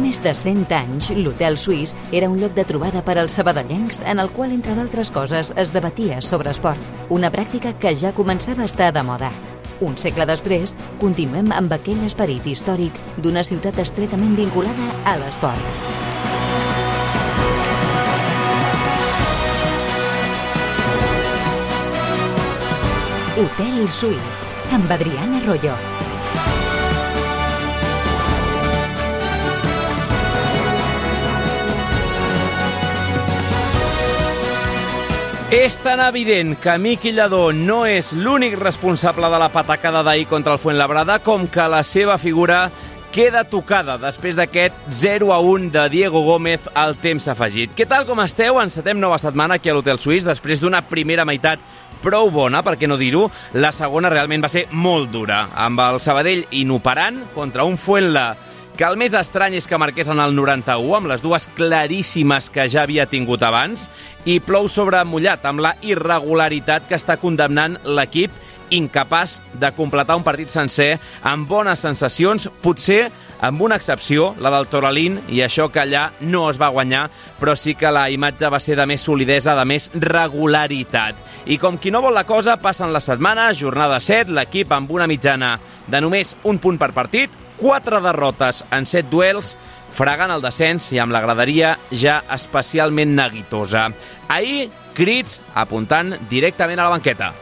més de 100 anys, l'Hotel Suís era un lloc de trobada per als sabadellencs en el qual, entre d'altres coses, es debatia sobre esport, una pràctica que ja començava a estar de moda. Un segle després, continuem amb aquell esperit històric d'una ciutat estretament vinculada a l'esport. Hotel Suís, amb Adriana Arroyo. És tan evident que Miqui Lladó no és l'únic responsable de la patacada d'ahir contra el Fuenlabrada com que la seva figura queda tocada després d'aquest 0-1 de Diego Gómez al temps afegit. Què tal, com esteu? Encetem nova setmana aquí a l'Hotel Suís després d'una primera meitat prou bona, per què no dir-ho. La segona realment va ser molt dura, amb el Sabadell inoperant contra un Fuenla que el més estrany és que marqués en el 91, amb les dues claríssimes que ja havia tingut abans, i plou sobre mullat, amb la irregularitat que està condemnant l'equip, incapaç de completar un partit sencer amb bones sensacions, potser amb una excepció, la del Toralín, i això que allà no es va guanyar, però sí que la imatge va ser de més solidesa, de més regularitat. I com qui no vol la cosa, passen les setmanes, jornada 7, l'equip amb una mitjana de només un punt per partit, 4 derrotes en 7 duels, fregant el descens i amb la graderia ja especialment neguitosa. Ahir, crits apuntant directament a la banqueta.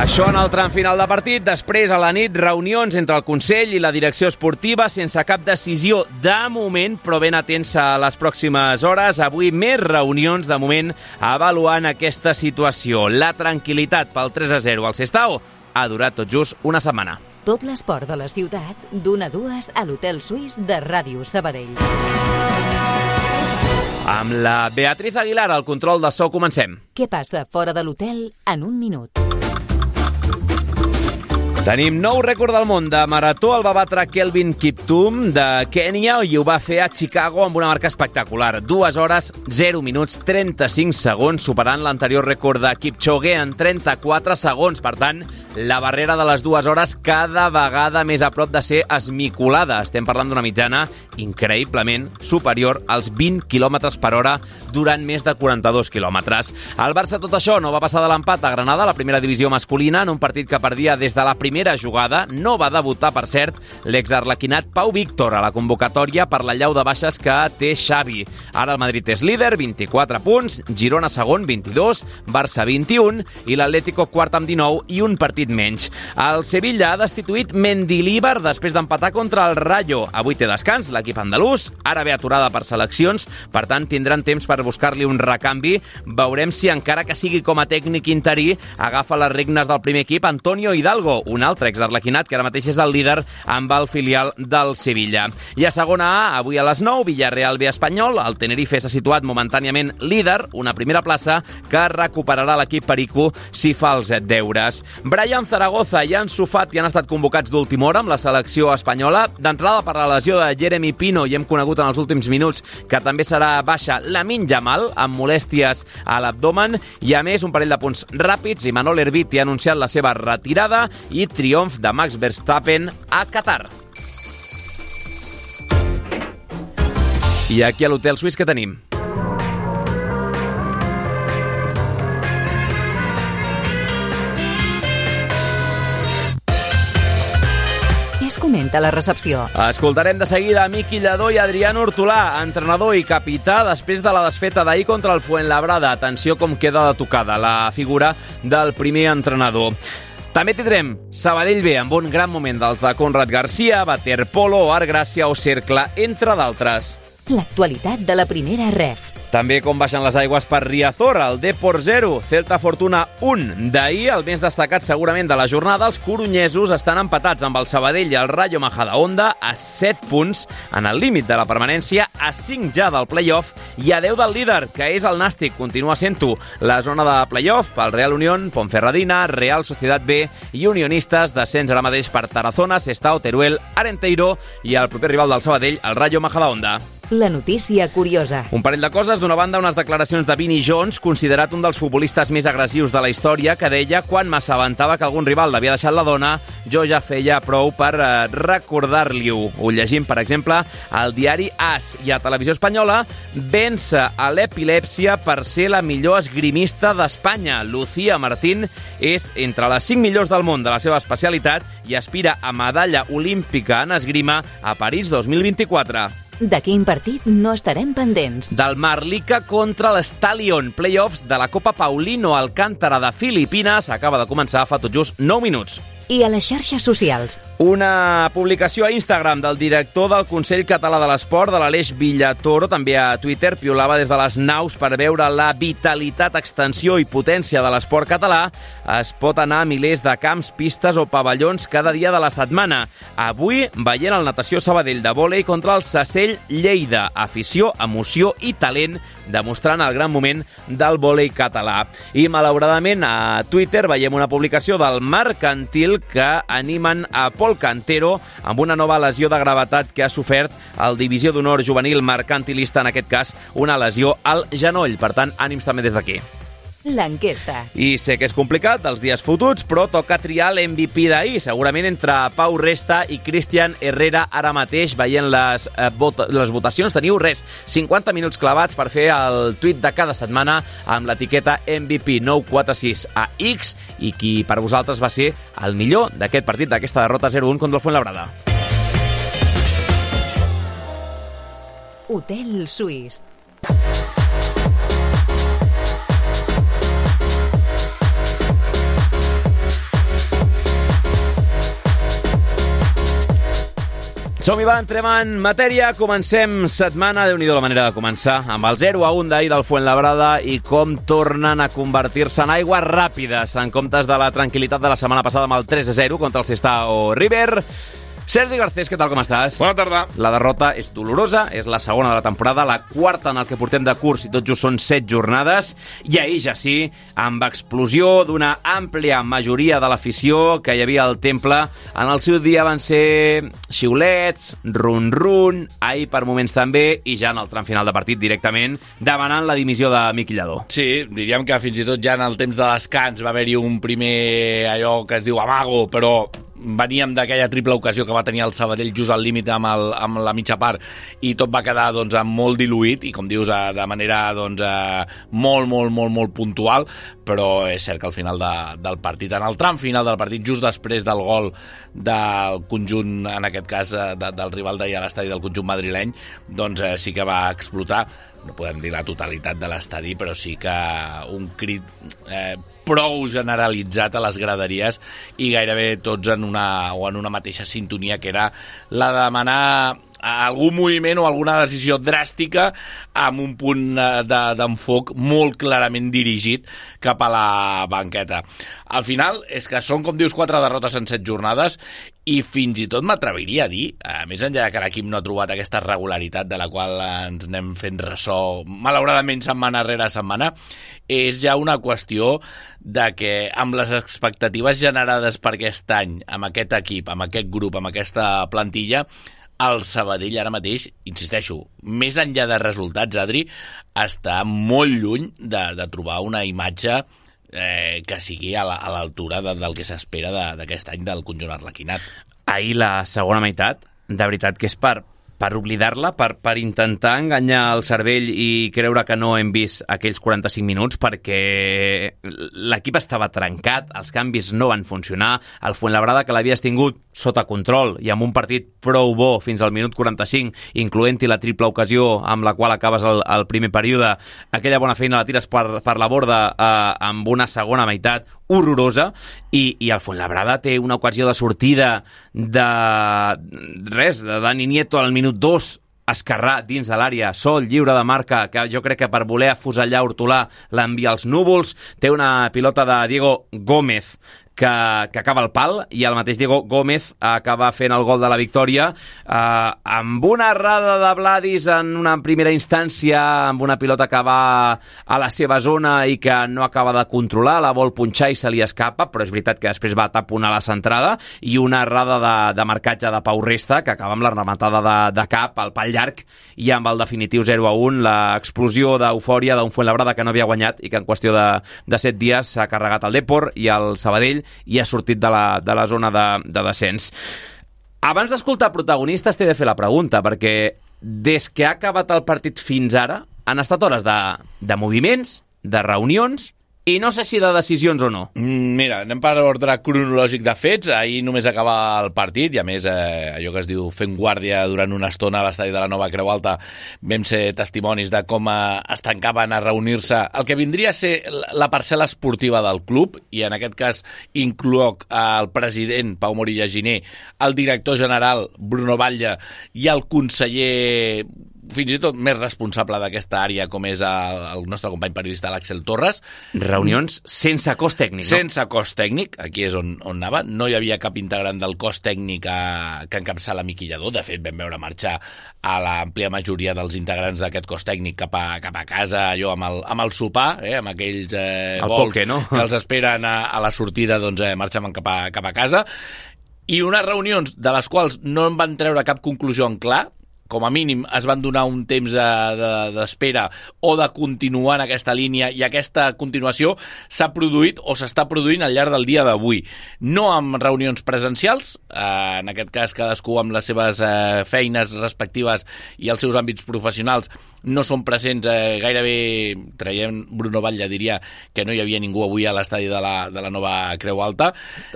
Això en el tram final de partit. Després, a la nit, reunions entre el Consell i la direcció esportiva sense cap decisió de moment, però ben atents a les pròximes hores. Avui més reunions, de moment, avaluant aquesta situació. La tranquil·litat pel 3-0 al Sestao ha durat tot just una setmana. Tot l'esport de la ciutat, d'1 a 2 a l'Hotel Suís de Ràdio Sabadell. Amb la Beatriz Aguilar al control de so, comencem. Què passa fora de l'hotel en un minut? Tenim nou rècord del món de marató. El va batre Kelvin Kiptum de Kènia i ho va fer a Chicago amb una marca espectacular. 2 hores, 0 minuts, 35 segons, superant l'anterior rècord de Kipchoge en 34 segons. Per tant, la barrera de les 2 hores cada vegada més a prop de ser esmicolada. Estem parlant d'una mitjana increïblement superior als 20 km per hora durant més de 42 quilòmetres. El Barça, tot això, no va passar de l'empat a Granada, la primera divisió masculina, en un partit que perdia des de la primera jugada. No va debutar, per cert, l'exarlequinat Pau Víctor a la convocatòria per la llau de baixes que té Xavi. Ara el Madrid és líder, 24 punts, Girona segon, 22, Barça 21 i l'Atlético quart amb 19 i un partit menys. El Sevilla ha destituït Mendilibar després d'empatar contra el Rayo. Avui té descans l'equip andalús, ara ve aturada per seleccions, per tant tindran temps per buscar-li un recanvi. Veurem si, encara que sigui com a tècnic interí, agafa les regnes del primer equip Antonio Hidalgo, un altre exarlequinat que ara mateix és el líder amb el filial del Sevilla. I a segona A, avui a les 9, Villarreal B Espanyol. El Tenerife s'ha situat momentàniament líder, una primera plaça que recuperarà l'equip perico si fa els deures. Brian Zaragoza i Ansu Fati han estat convocats d'última hora amb la selecció espanyola. D'entrada, per la lesió de Jeremy Pino, i hem conegut en els últims minuts que també serà baixa Lamine Yamal, amb molèsties a l'abdomen, i a més un parell de punts ràpids. Imanol Herbiti ha anunciat la seva retirada i triomf de Max Verstappen a Qatar. I aquí a l'Hotel Suís què tenim? Què es comenta a la recepció? Escoltarem de seguida Miqui Lladó i Adrián Hortolà, entrenador i capità després de la desfeta d'ahir contra el Fuenlabrada. Atenció com queda de tocada la figura del primer entrenador. També tindrem Sabadell B amb un gran moment dels de Conrad Garcia, Waterpolo, Art Gràcia o Cercle, entre d'altres. L'actualitat de la primera ref. També com baixen les aigües per Riazor, el Depor 0, Celta Fortuna 1. D'ahir, el més destacat segurament de la jornada, els corunyesos estan empatats amb el Sabadell i el Rayo Majadahonda a 7 punts, en el límit de la permanència, a 5 ja del play-off i a 10 del líder, que és el Nàstic. Continua sent-ho la zona de play-off pel Real Unión, Ponferradina, Real Sociedad B i Unionistes, descens ara mateix per Tarazona, Sestao, Teruel, Arenteiro i el proper rival del Sabadell, el Rayo Majadahonda. La notícia curiosa. Un parell de coses. D'una banda, unes declaracions de Vinnie Jones, considerat un dels futbolistes més agressius de la història, que deia quan m'assabentava que algun rival l'havia deixat la dona, jo ja feia prou per recordar-li-ho. Ho llegim, per exemple, al diari AS. I a Televisió Espanyola, vence a l'epilèpsia per ser la millor esgrimista d'Espanya. Lucía Martín és entre les 5 millors del món de la seva especialitat i aspira a medalla olímpica en esgrima a París 2024. De quin partit no estarem pendents? Del Marlica contra l'Stallion, playoffs de la Copa Paulino Alcántara de Filipines. Acaba de començar fa tot just 9 minuts. I a les xarxes socials. Una publicació a Instagram del director del Consell Català de l'Esport, de l'Aleix Villatoro, també a Twitter, piolava des de les naus per veure la vitalitat, extensió i potència de l'esport català. Es pot anar a milers de camps, pistes o pavellons cada dia de la setmana. Avui veient el Natació Sabadell de vòlei contra el Sacell Lleida. Afició, emoció i talent, demostrant el gran moment del vòlei català. I malauradament a Twitter veiem una publicació del Mercantil que animen a Pol Cantero amb una nova lesió de gravetat que ha sofert el Divisió d'Honor Juvenil Mercantilista, en aquest cas una lesió al genoll. Per tant, ànims també des d'aquí. L'enquesta. I sé que és complicat, els dies fotuts, però toca triar l'MVP d'ahir, segurament entre Pau Resta i Cristian Herrera ara mateix, veient les votacions. Teniu 50 minuts clavats per fer el tuit de cada setmana amb l'etiqueta MVP 946 a X i qui per vosaltres va ser el millor d'aquest partit, d'aquesta derrota 0-1 contra el Fuenlabrada. Hotel Suís. Som-hi, va, entrem en matèria. Comencem setmana, Déu-n'hi-do la manera de començar, amb el 0-1 d'ahir del Fuenlabrada i com tornen a convertir-se en aigües ràpides en comptes de la tranquil·litat de la setmana passada amb el 3-0 contra el Sestao River. Sergi Garcés, què tal, com estàs? Bona tarda. La derrota és dolorosa, és la segona de la temporada, la quarta en el que portem de curs i tot just són 7 jornades, i ahir ja sí, amb explosió d'una àmplia majoria de l'afició que hi havia al Temple, en el seu dia van ser xiulets, run-run, ahir per moments també, i ja en el tram final de partit directament, demanant la dimissió de Miqui Lladó. Sí, diríem que fins i tot ja en el temps de descans va haver-hi un primer allò que es diu amago, però veníem d'aquella triple ocasió que va tenir el Sabadell just al límit amb la mitja part i tot va quedar doncs, molt diluït i com dius de manera doncs, molt puntual, però és cert que al final del partit, en el tram final del partit, just després del gol del conjunt, en aquest cas del rival d'ahir a l'estadi del conjunt madrileny, doncs sí que va explotar, no podem dir la totalitat de l'estadi, però sí que un crit prou generalitzat a les graderies i gairebé tots en una mateixa sintonia, que era la de demanar algun moviment o alguna decisió dràstica amb un punt d'enfoc molt clarament dirigit cap a la banqueta. Al final és que són, com dius, 4 derrotes en 7 jornades i fins i tot m'atreviria a dir, més enllà que l'equip no ha trobat aquesta regularitat de la qual ens anem fent ressò malauradament setmana rere setmana, és ja una qüestió de que amb les expectatives generades per aquest any, amb aquest equip, amb aquest grup, amb aquesta plantilla, el Sabadell ara mateix, insisteixo, més enllà de resultats, Adri, està molt lluny de trobar una imatge que sigui a l'altura del que s'espera d'aquest any del conjunt arlequinat. Ahir la segona meitat, de veritat que és per oblidar-la, per intentar enganyar el cervell i creure que no hem vist aquells 45 minuts, perquè l'equip estava trencat, els canvis no van funcionar, el Fuenlabrada, que l'havies tingut sota control i amb un partit prou bo fins al minut 45, incloent-hi la triple ocasió amb la qual acabes el primer període, aquella bona feina la tires per la borda amb una segona meitat horrorosa, i el Fuenlabrada té una ocasió de sortida de Dani Nieto al minut 2, esquerrà dins de l'àrea, sol, lliure de marca, que jo crec que per voler afusellar Hortolà l'envia als núvols, té una pilota de Diego Gómez que acaba el pal, i el mateix Diego Gómez acaba fent el gol de la victòria amb una errada de Vladis en una primera instància, amb una pilota que va a la seva zona i que no acaba de controlar, la vol punxar i se li escapa, però és veritat que després va taponar la centrada, i una errada de marcatge de Pau Resta, que acaba amb la rematada de cap al pal llarg, i amb el definitiu 0-1, l'explosió d'eufòria d'un Fuenlabrada que no havia guanyat i que en qüestió de 7 dies s'ha carregat el Depor i el Sabadell i ha sortit de la zona de descens. Abans d'escoltar protagonistes t'he de fer la pregunta, perquè des que ha acabat el partit fins ara han estat hores de moviments, de reunions, i no sé si de decisions o no. Mira, anem per ordre cronològic de fets. Ahir només acaba el partit i, a més, allò que es diu fent guàrdia durant una estona a l'estadi de la Nova Creu Alta, vam ser testimonis de com es tancaven a reunir-se el que vindria a ser la parcel·la esportiva del club, i en aquest cas incloc el president Pau Morilla Giner, el director general Bruno Batlle i el conseller fins i tot més responsable d'aquesta àrea, com és el nostre company periodista l'Àxel Torres. Reunions sense cos tècnic, no? Sense cos tècnic, aquí és on anava. No hi havia cap integrant del cos tècnic que encapçala Miqui Lladó. De fet, vam veure marxar a l'àmplia majoria dels integrants d'aquest cos tècnic cap a casa, allò amb el sopar, amb aquells vols poke, no? Que els esperen a la sortida, doncs marxen cap a casa. I unes reunions de les quals no en van treure cap conclusió en clar. Com a mínim es van donar un temps d'espera o de continuar en aquesta línia, i aquesta continuació s'ha produït o s'està produint al llarg del dia d'avui. No amb reunions presencials, en aquest cas cadascú amb les seves feines respectives i els seus àmbits professionals no són presents gairebé, traient Bruno Batlle diria que no hi havia ningú avui a l'estadi de la Nova Creu Alta,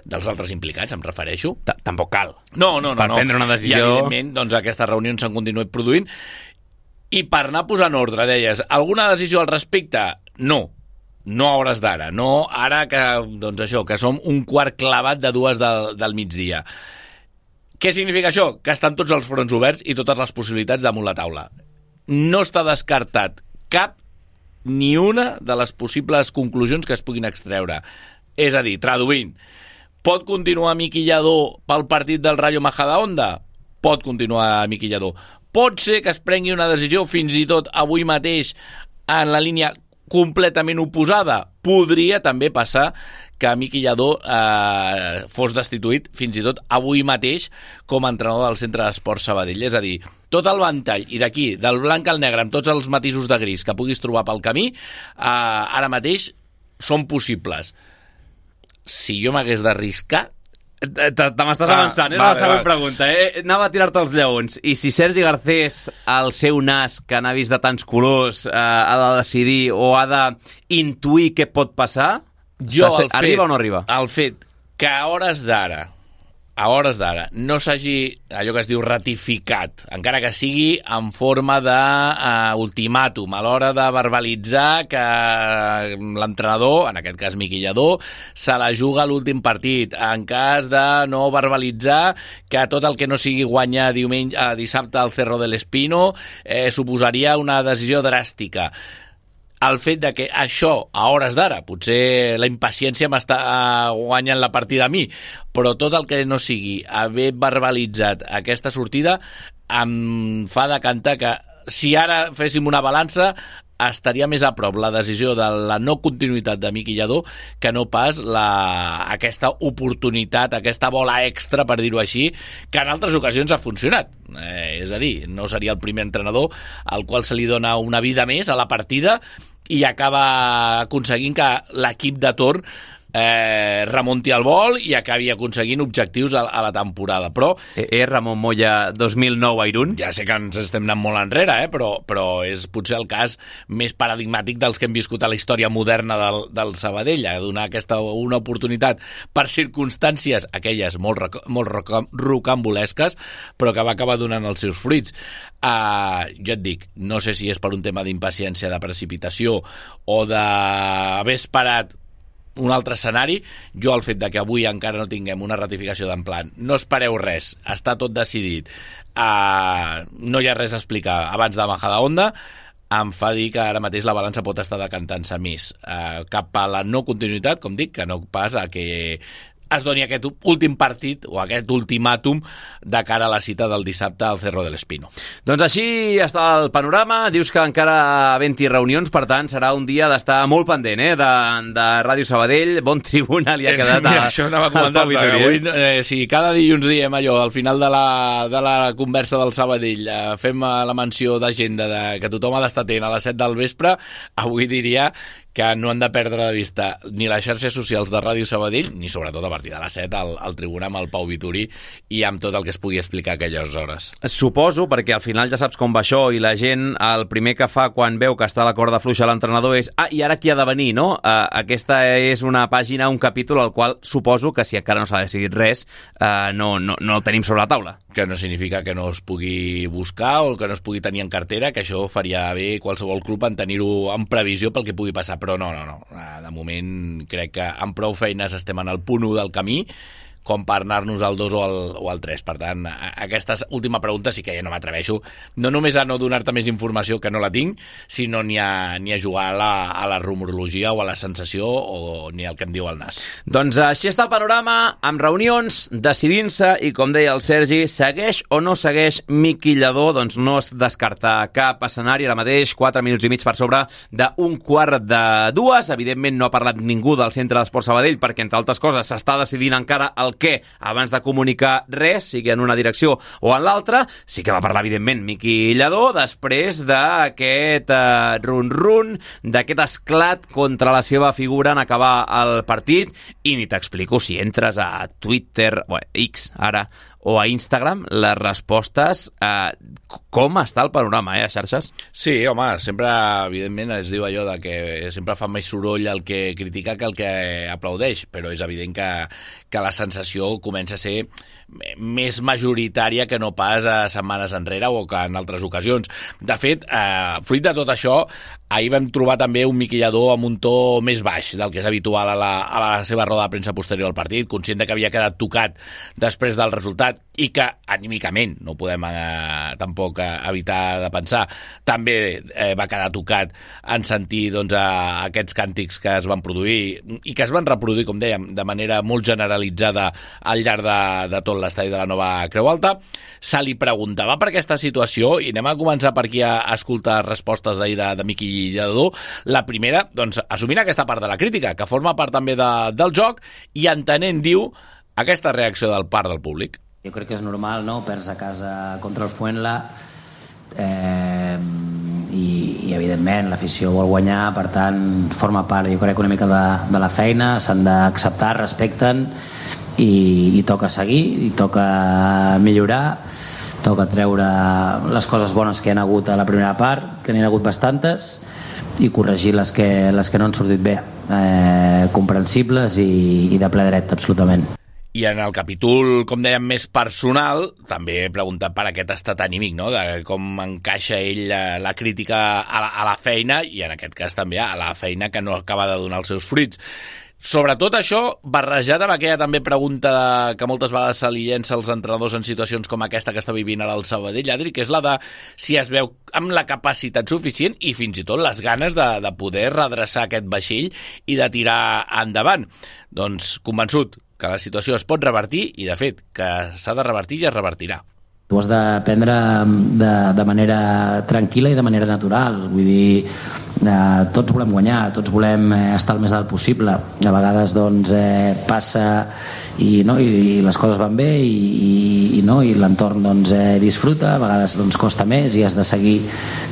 dels altres implicats em refereixo. Tampoc cal. No. Per prendre una decisió. I evidentment doncs, aquestes reunions s'han continuat produint. I per anar posant ordre, deies, alguna decisió al respecte? No a hores d'ara. No ara que, doncs això, que som un quart clavat de 2 del migdia. Què significa això? Que estan tots els fronts oberts i totes les possibilitats damunt la taula. No està descartat cap ni una de les possibles conclusions que es puguin extreure. És a dir, traduint, pot continuar Miqui Lladó pel partit del Rayo Majadahonda? Pot continuar Miqui Lladó. Pot ser que es prengui una decisió fins i tot avui mateix en la línia completament oposada. Podria també passar que Miqui Lladó fos destituït fins i tot avui mateix com a entrenador del Centre d'Esports Sabadell. És a dir, tot el ventall, i d'aquí, del blanc al negre, amb tots els matisos de gris que puguis trobar pel camí, ara mateix són possibles. Si jo m'hagués d'arriscar... Te m'estàs avançant, és la següent pregunta. Anava a tirar-te els lleons. I si Sergi Garcés, el seu nas, que n'ha vist de tants colors, ha de decidir o ha d'intuir què pot passar, arriba o no arriba? El fet que a hores d'ara no s'hagi, allò que es diu, ratificat, encara que sigui en forma d'ultimàtum, a l'hora de verbalitzar que l'entrenador, en aquest cas Miqui Lladó, se la juga a l'últim partit, en cas de no verbalitzar que tot el que no sigui guanyar dissabte al Cerro del Espino suposaria una decisió dràstica. El fet de que això, a hores d'ara, potser la impaciència m'està guanyant la partida a mi, però tot el que no sigui haver verbalitzat aquesta sortida em fa decantar que si ara féssim una balança estaria més a prop la decisió de la no continuïtat de Miqui Lladó que no pas aquesta oportunitat, aquesta bola extra, per dir-ho així, que en altres ocasions ha funcionat. És a dir, no seria el primer entrenador al qual se li dona una vida més a la partida i acaba aconseguint que l'equip de torn remunti el vol i acabi aconseguint objectius a la temporada. Però Ramon Moya 2009 a Irún. Ja sé que ens estem anant molt enrere, però és potser el cas més paradigmàtic dels que hem viscut a la història moderna del Sabadell, a donar una oportunitat per circumstàncies, aquelles molt rocambolesques, però que va acabar donant els seus fruits. Jo et dic, no sé si és per un tema d'impaciència, de precipitació o d'haver esperat un altre escenari. Jo, el fet de que avui encara no tinguem una ratificació d'en plan no espereu res, està tot decidit, no hi ha res a explicar abans de Majadahonda, em fa dir que ara mateix la balança pot estar decantant-se més cap a la no continuïtat, com dic, que no pas a que es doni aquest últim partit o aquest ultimàtum de cara a la cita del dissabte al Cerro del Espino. Doncs així està el panorama. Dius que encara havent-hi reunions, per tant, serà un dia d'estar molt pendent de Ràdio Sabadell. Bon tribuna li ha quedat això anava a comentar-te, avui, si cada dilluns diem allò, al final de la conversa del Sabadell, fem la menció d'agenda que tothom ha d'estar atent a les 7 del vespre, avui diria que no han de perdre de vista ni les xarxes socials de Ràdio Sabadell, ni sobretot a partir de les 7 al tribunal amb el Pau Vitorí i amb tot el que es pugui explicar a aquelles hores. Suposo, perquè al final ja saps com va això i la gent el primer que fa quan veu que està a la corda fluixa l'entrenador és i ara qui ha de venir, no? Aquesta és una pàgina, un capítol al qual suposo que si encara no s'ha decidit res no el tenim sobre la taula. Que no significa que no es pugui buscar o que no es pugui tenir en cartera, que això faria bé qualsevol club en tenir-ho en previsió pel que pugui passar, però no. De moment crec que amb prou feines estem en el punt 1 del camí com per anar-nos al 2 o al 3. Per tant, aquesta última pregunta sí que ja no m'atreveixo, no només a no donar-te més informació que no la tinc, sinó ni a jugar a la rumorologia o a la sensació o ni al que em diu el nas. Doncs així està el panorama, amb reunions, decidint-se, i com deia el Sergi, segueix o no segueix Miqui Lladó? Doncs no es descarta cap escenari. Ara mateix, 4 minuts i mig per sobre d'un 1:45. Evidentment no ha parlat ningú del Centre d'Esport Sabadell perquè, entre altres coses, s'està decidint encara el què abans de comunicar res, sigui en una direcció o en l'altra. Sí que va parlar, evidentment, Miqui Lladó després d'aquest run-run, d'aquest esclat contra la seva figura en acabar el partit. I ni t'explico si entres a Twitter, X ara, o a Instagram, les respostes, com està el panorama, a xarxes? Sí, home, sempre, evidentment, es diu allò de que sempre fa més soroll el que critica que el que aplaudeix, però és evident que la sensació comença a ser més majoritària que no pas a setmanes enrere o que en altres ocasions. De fet, fruit de tot això, ahir vam trobar també un Miqui Lladó amb un to més baix del que és habitual a la seva roda de premsa posterior al partit, conscient que havia quedat tocat després del resultat i que anímicament, no podem tampoc evitar de pensar, també va quedar tocat en sentir aquests càntics que es van produir i que es van reproduir, com dèiem, de manera molt generalitzada al llarg de tot l'estadi de la nova Creu Alta. Se li preguntava per aquesta situació i anem a començar per aquí a escoltar respostes d'ahir de Miqui Lladó. La primera, doncs, assumint aquesta part de la crítica, que forma part també del joc i entenent, diu, aquesta reacció del part del públic. Jo crec que és normal, no?, perds a casa contra el Fuenla i evidentment l'afició vol guanyar, per tant forma part, jo crec, una mica de la feina, s'han d'acceptar, respecten i toca seguir, i toca millorar, toca treure les coses bones que hi ha hagut a la primera part, que n'hi ha hagut bastantes, i corregir les que no han sortit bé, comprensibles i de ple dret, absolutament. I en el capítol, com dèiem, més personal, també he preguntat per aquest estat anímic, no?, de com encaixa ell la crítica a la feina i en aquest cas també a la feina que no acaba de donar els seus fruits. Sobretot això barrejat amb aquella també pregunta que moltes vegades se li llença als entrenadors en situacions com aquesta que està vivint ara el Sabadell, Adri, que és la de si es veu amb la capacitat suficient i fins i tot les ganes de poder redreçar aquest vaixell i de tirar endavant. Doncs convençut que la situació es pot revertir i, de fet, que s'ha de revertir i es revertirà. Ho has de prendre de manera tranquil·la i de manera natural. Vull dir, tots volem guanyar, tots volem estar el més alt possible. A vegades doncs, passa i les coses van bé i l'entorn doncs, disfruta, a vegades doncs, costa més i has de seguir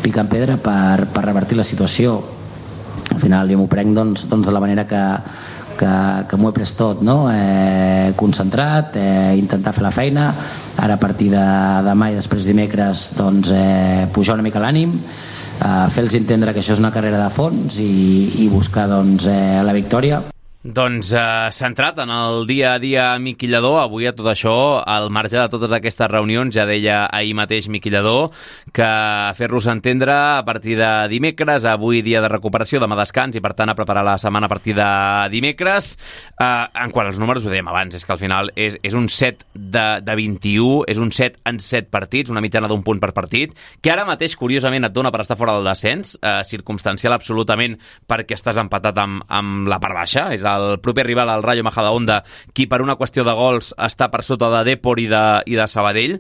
picant pedra per revertir la situació. Al final jo m'ho prenc doncs, de la manera que m'ho he pres tot, no? Concentrat, intentar fer la feina, ara a partir de demà i després dimecres doncs, pujar una mica l'ànim, fer-los entendre que això és una carrera de fons i buscar doncs, la victòria. Doncs centrat en el dia a dia Miqui Lladó, avui a tot això, al marge de totes aquestes reunions, ja deia ahir mateix Miqui Lladó que fer-los entendre a partir de dimecres, avui dia de recuperació, demà descans i per tant a preparar la setmana a partir de dimecres. En quant als números, ho dèiem abans, és que al final és un 7 de 21, és un 7 en 7 partits, una mitjana d'un punt per partit, que ara mateix curiosament et dona per estar fora del descens, circumstancial absolutament perquè estàs empatat amb la part baixa, és el proper rival, el Rayo Majadahonda, qui per una qüestió de gols està per sota de Depor i de Sabadell,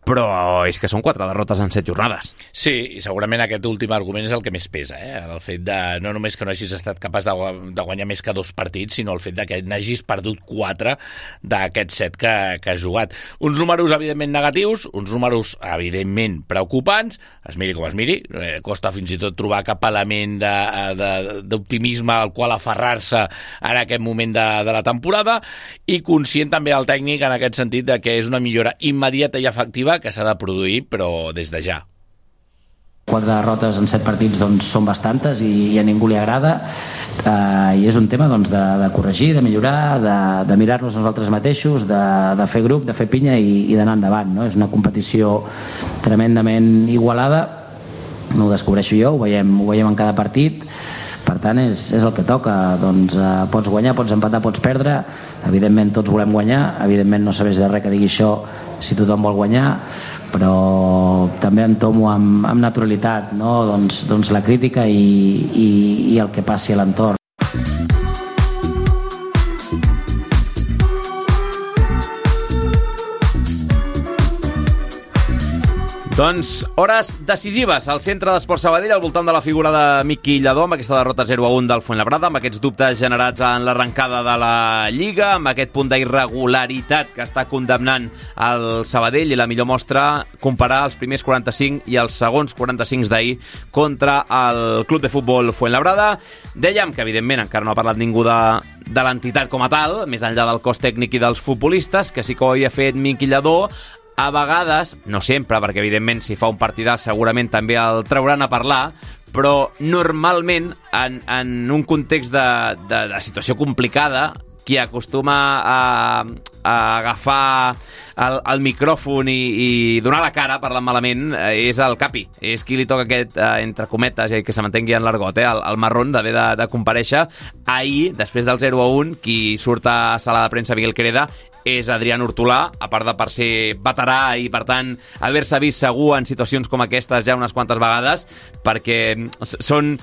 però és que són 4 derrotes en 7 jornades. Sí, i segurament aquest últim argument és el que més pesa, el fet de no només que no hagis estat capaç de guanyar més que 2 partits, sinó el fet de que n'hagis perdut 4 d'aquests 7 que has jugat. Uns números, evidentment, negatius, uns números, evidentment, preocupants, es miri com es miri, costa fins i tot trobar cap element d'optimisme al qual aferrar-se en aquest moment de la temporada, i conscient també el tècnic en aquest sentit de que és una millora immediata i efectiva que s'ha de produir, però des de ja. 4 derrotes en 7 partits doncs, són bastantes i a ningú li agrada, i és un tema doncs, de corregir, de millorar, de mirar-nos nosaltres mateixos, de fer grup, de fer pinya i d'anar endavant, no? És una competició tremendament igualada, no ho descobreixo jo, ho veiem en cada partit, per tant és el que toca, doncs, pots guanyar, pots empatar, pots perdre, evidentment tots volem guanyar, evidentment no serveix de res que digui això si tothom vol guanyar, però també entomo amb naturalitat, no? doncs la crítica i el que passi a l'entorn. Doncs hores decisives al centre d'Esport Sabadell al voltant de la figura de Miqui Lladó, amb aquesta derrota 0-1 del Fuenlabrada, amb aquests dubtes generats en l'arrencada de la Lliga, amb aquest punt d'irregularitat que està condemnant el Sabadell, i la millor mostra comparar els primers 45 i els segons 45 d'ahir contra el Club de Futbol Fuenlabrada. Dèiem que evidentment encara no ha parlat ningú de l'entitat com a tal, més enllà del cos tècnic i dels futbolistes, que sí que ho havia fet Miqui Lladó. A vegades, no sempre, perquè evidentment si fa un partidàs segurament també el trauran a parlar, però normalment en un context de situació complicada, qui acostuma a agafar el micròfon i donar la cara parlant malament és el Capi, és qui li toca aquest, entre cometes, que se m'entengui en l'argot, el marrón d'haver de comparèixer. Ahir, després del 0-1, qui surt a sala de premsa Miguel Quereda és Adrián Hortolà, a part de per ser veterà i, per tant, haver-se vist segur en situacions com aquestes ja unes quantes vegades, perquè són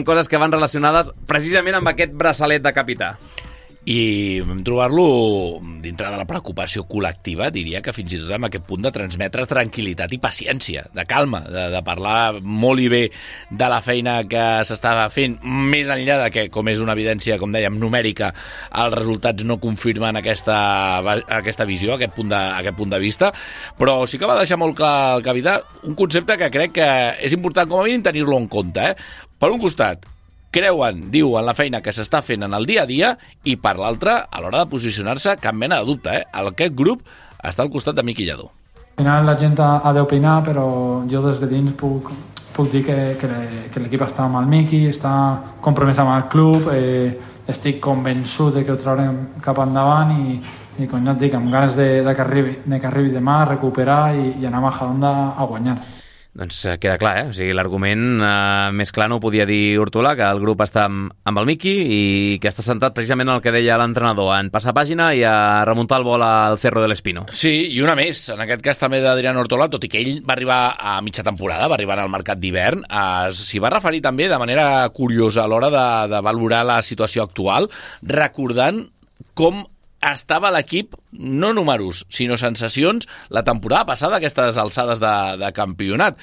coses que van relacionades precisament amb aquest braçalet de capità. I trobar-lo dintre de la preocupació col·lectiva, diria que fins i tot amb aquest punt de transmetre tranquil·litat i paciència, de calma, de parlar molt i bé de la feina que s'estava fent, més enllà de que, com és una evidència, com dèiem, numèrica, els resultats no confirmen aquesta visió, aquest punt de vista, però sí que va deixar molt clar el capità un concepte que crec que és important com a mínim tenir-lo en compte. Per un costat, diuen la feina que s'està fent en el dia a dia, i per l'altre, a l'hora de posicionar-se, cap mena de dubte. Aquest grup està al costat de Miqui Lladó. Al final la gent ha d'opinar, però jo des de dins puc dir que l'equip està amb el Miqui, està compromès amb el club, estic convençut de que ho traurem cap endavant i com ja et dic, amb ganes de que arribi demà, recuperar i anar a Majadahonda a guanyar. Doncs queda clar, O sigui, l'argument més clar no ho podia dir Hortolà, que el grup està amb el Miqui i que està centrat precisament en el que deia l'entrenador, en passar pàgina i a remuntar el vol al Cerro del Espino. Sí, i una més, en aquest cas també d'Adrián Hortolà, tot i que ell va arribar a mitja temporada, va arribar al mercat d'hivern, s'hi va referir també de manera curiosa a l'hora de valorar la situació actual, recordant com estava l'equip, no números, sinó sensacions, la temporada passada, aquestes alçades de campionat.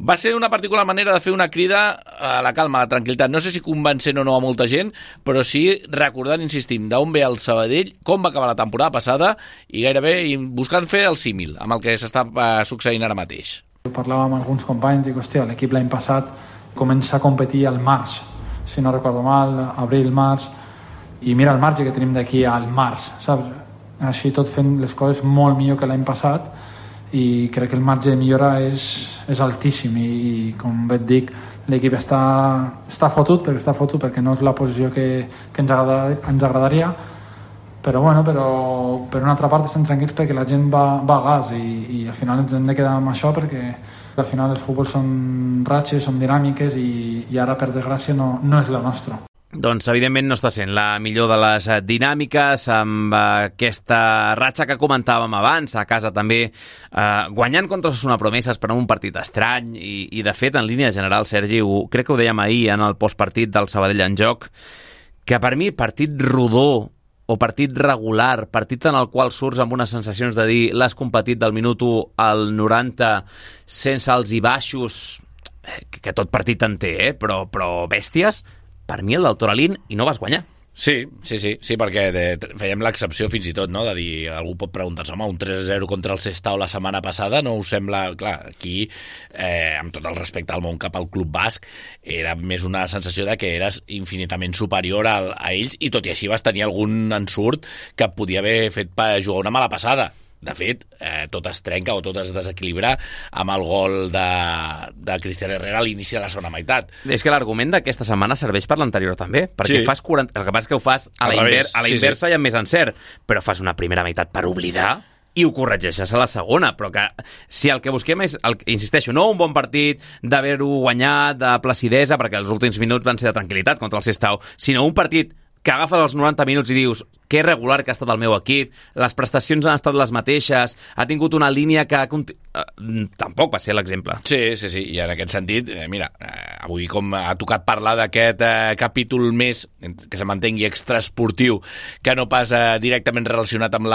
Va ser una particular manera de fer una crida a la calma, a la tranquil·litat. No sé si convencent o no a molta gent, però sí recordant, insistim, d'on ve el Sabadell, com va acabar la temporada passada i gairebé buscant fer el símil amb el que s'està succeint ara mateix. Parlava amb alguns companys i dic, hòstia, l'equip l'any passat comença a competir al març, si no recordo mal, abril, març, i mira el marge que tenim d'aquí al març, saps? Així tot fent les coses molt millor que l'any passat, i crec que el marge de millora és altíssim, i com bé et dic, l'equip està fotut perquè no és la posició que ens agradaria, però bueno, per una altra part estem tranquils perquè la gent va a gas, i al final ens hem de quedar amb això, perquè al final el futbol són ratxes, són dinàmiques, i ara per desgràcia no és la nostra. Doncs, evidentment, no està sent la millor de les dinàmiques, amb aquesta ratxa que comentàvem abans, a casa també guanyant contra Osasuna Promeses per un partit estrany, i de fet, en línia general, Sergi, crec que ho dèiem ahir en el postpartit del Sabadell en joc, que per mi partit rodó o partit regular, partit en el qual surts amb unes sensacions de dir l'has competit del minut 1 al 90 sense alts i baixos, que tot partit en té, però bèsties, per mi el del Toralín i no vas guanyar. Sí, perquè fèiem l'excepció fins i tot, no? De dir, algú pot preguntar-se, home, un 3-0 contra el Sestao la setmana passada no us sembla... Clar, aquí, amb tot el respecte al món cap al Club Basc, era més una sensació de que eres infinitament superior a ells i tot i així vas tenir algun ensurt que et podia haver fet jugar una mala passada. De fet, tot es trenca o tot es desequilibra amb el gol de Cristian Herrera a l'inici de la segona meitat. És que l'argument d'aquesta setmana serveix per l'anterior també, perquè fas 40... El que passa és que ho fas a la inversa i amb més encert, però fas una primera meitat per oblidar i ho corregeixes a la segona, però que si el que busquem és, insisteixo, no un bon partit d'haver-ho guanyat, de placidesa, perquè els últims minuts van ser de tranquil·litat contra el Sestao, sinó un partit que agafes els 90 minuts i dius que regular que ha estat el meu equip, les prestacions han estat les mateixes, ha tingut una línia que... Tampoc va ser l'exemple. Sí, i en aquest sentit, mira, avui com ha tocat parlar d'aquest capítol més, que se mantengui extraesportiu, que no pas directament relacionat amb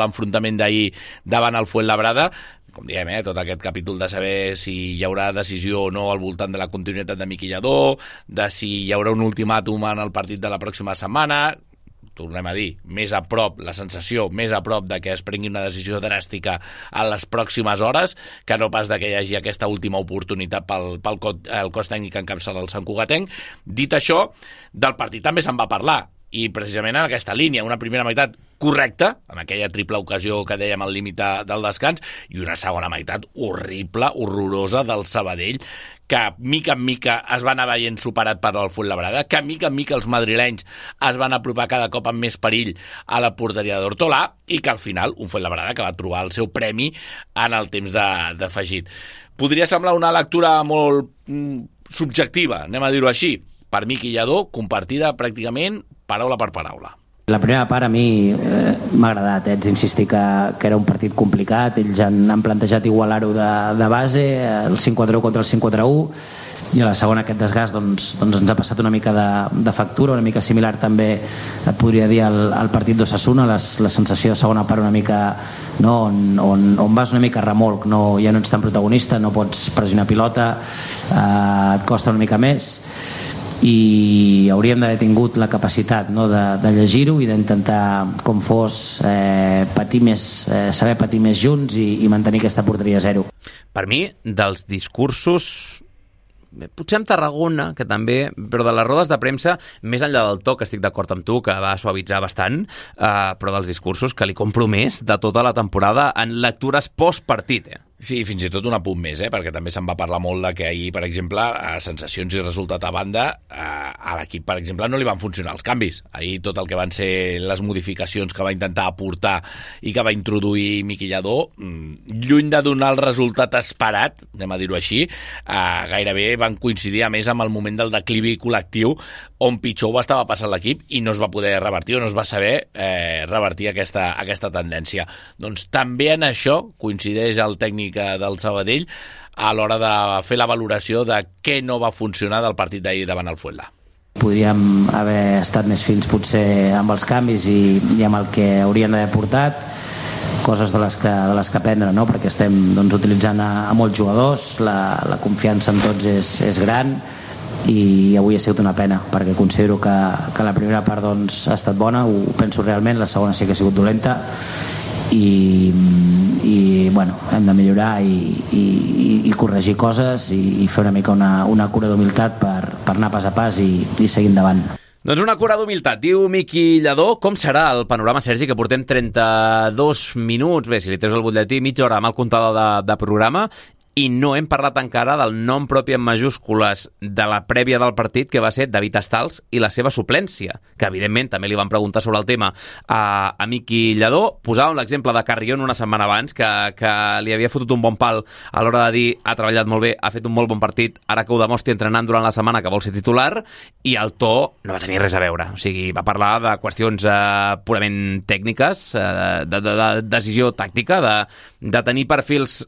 l'enfrontament d'ahir davant el Fuenlabrada, com diem, tot aquest capítol de saber si hi haurà decisió o no al voltant de la continuïtat de Miqui Lladó, de si hi haurà un ultimàtum en el partit de la pròxima setmana, tornem a dir, més a prop, la sensació més a prop de que es prengui una decisió dràstica en les pròximes hores, que no pas de que hi hagi aquesta última oportunitat pel cos tècnic que encapçala el Sant Cugatenc. Dit això, del partit també se'n va parlar, i precisament en aquesta línia, una primera meitat correcta, amb aquella triple ocasió que dèiem al límit del descans, i una segona meitat horrible, horrorosa del Sabadell, que mica en mica es va anar veient superat per el Fuenlabrada, que mica en mica els madrilenys es van apropar cada cop amb més perill a la porteria d'Hortolà, i que al final un Fuenlabrada que va trobar el seu premi en el temps d'afegit. Podria semblar una lectura molt subjectiva, anem a dir-ho així, per Miqui Lladó, compartida pràcticament paraula per paraula. La primera part a mi m'ha agradat, haig d'insistir que era un partit complicat, ells han plantejat igualar-ho de base, el 5-4-1 contra el 5-4-1, i a la segona aquest desgast doncs ens ha passat una mica de factura, una mica similar també, et podria dir, al partit d'Osasuna, la sensació de segona part una mica, no, on vas una mica a remolc, no, ja no ets tan protagonista, no pots pressionar pilota, et costa una mica més, i hauríem d'haver tingut la capacitat, no, de llegir-ho i d'intentar, com fos, patir més, saber patir més junts i mantenir aquesta porteria a 0. Per mi, dels discursos, potser amb Tarragona, que també, però de les rodes de premsa, més enllà del to, que estic d'acord amb tu, que va suavitzar bastant, però dels discursos que li compro més de tota la temporada en lectures post-partit, Sí, fins i tot un apunt més, perquè també se'n va parlar molt de que ahir, per exemple, a sensacions i resultat a banda, a l'equip, per exemple, no li van funcionar els canvis. Ahir tot el que van ser les modificacions que va intentar aportar i que va introduir Miqui Lladó, lluny de donar el resultat esperat, anem a dir-ho així, gairebé van coincidir a més amb el moment del declivi col·lectiu on pitjor ho estava passant l'equip i no es va poder revertir o no es va saber revertir aquesta tendència. Doncs també en això coincideix el tècnic del Sabadell a l'hora de fer la valoració de què no va funcionar del partit d'ahir davant el Fuenla. Podríem haver estat més fins potser amb els canvis i amb el que haurien d'haver portat, coses de les que aprendre, no? Perquè estem utilitzant a molts jugadors, la confiança en tots és gran, i avui ha sigut una pena perquè considero que la primera part ha estat bona, ho penso realment, la segona sí que ha sigut dolenta i bueno, hem de millorar i corregir coses i fer una mica una cura d'humilitat per anar pas a pas i seguir endavant. Doncs una cura d'humilitat, diu Miqui Lladó. Com serà el panorama, Sergi, que portem 32 minuts, bé, si li treus el butlletí, mitja hora amb el comptador de programa, i no hem parlat encara del nom propi en majúscules de la prèvia del partit, que va ser David Astals i la seva suplència, que evidentment també li van preguntar sobre el tema a Miqui Lladó. Posàvem l'exemple de Carrión una setmana abans, que li havia fotut un bon pal a l'hora de dir ha treballat molt bé, ha fet un molt bon partit, ara que ho demostri entrenant durant la setmana que vol ser titular, i el to no va tenir res a veure. O sigui, va parlar de qüestions purament tècniques, de decisió tàctica, de tenir perfils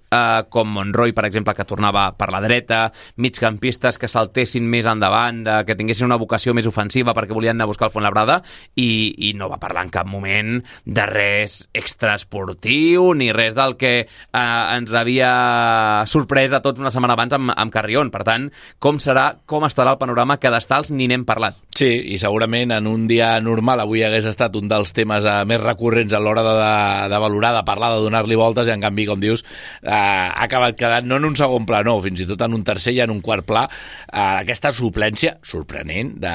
com Monroy per exemple, que tornava per la dreta, migcampistes que saltessin més endavant, que tinguessin una vocació més ofensiva perquè volien anar a buscar el Fuenlabrada, i no va parlar en cap moment de res extraesportiu ni res del que ens havia sorprès a tots una setmana abans amb Carrión. Per tant, com estarà el panorama cadastals ni n'hem parlat. Sí, i segurament en un dia normal avui hagués estat un dels temes més recurrents a l'hora de valorar, de parlar, de donar-li voltes, i en canvi, com dius, ha acabat quedant no en un segon pla, no, fins i tot en un tercer i en un quart pla, aquesta suplència sorprenent de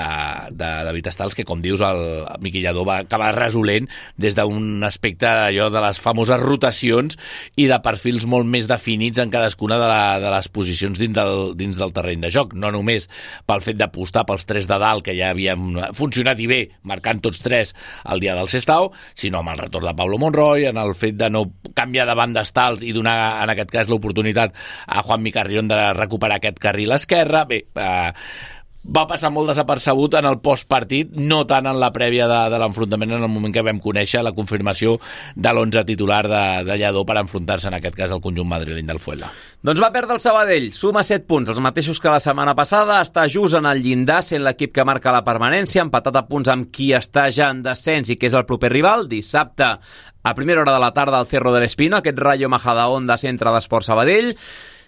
David Stals, que, com dius, el Miqui Lladó va acabar resolent des d'un aspecte allò de les famoses rotacions i de perfils molt més definits en cadascuna de les posicions dins del terreny de joc, no només pel fet d'apostar pels tres de dalt, que ja havien funcionat i bé, marcant tots tres el dia del Sestao, sinó amb el retorn de Pablo Monroy, en el fet de no canviar de banda Stals i donar, en aquest cas, l'oportunitat a Juanmi Carrión de recuperar aquest carril esquerre. Bé, va passar molt desapercebut en el postpartit, no tant en la prèvia de l'enfrontament, en el moment que vam conèixer la confirmació de l'11 titular de Lladó per enfrontar-se, en aquest cas, al conjunt madrileny del Fuenla. Doncs va perdre el Sabadell, suma 7 punts, els mateixos que la setmana passada, està just en el llindar, sent l'equip que marca la permanència, empatat a punts amb qui està ja en descens i que és el proper rival. Dissabte, a primera hora de la tarda, al Cerro del Espino, aquest Rayo Majadahonda, centre d'Esport Sabadell.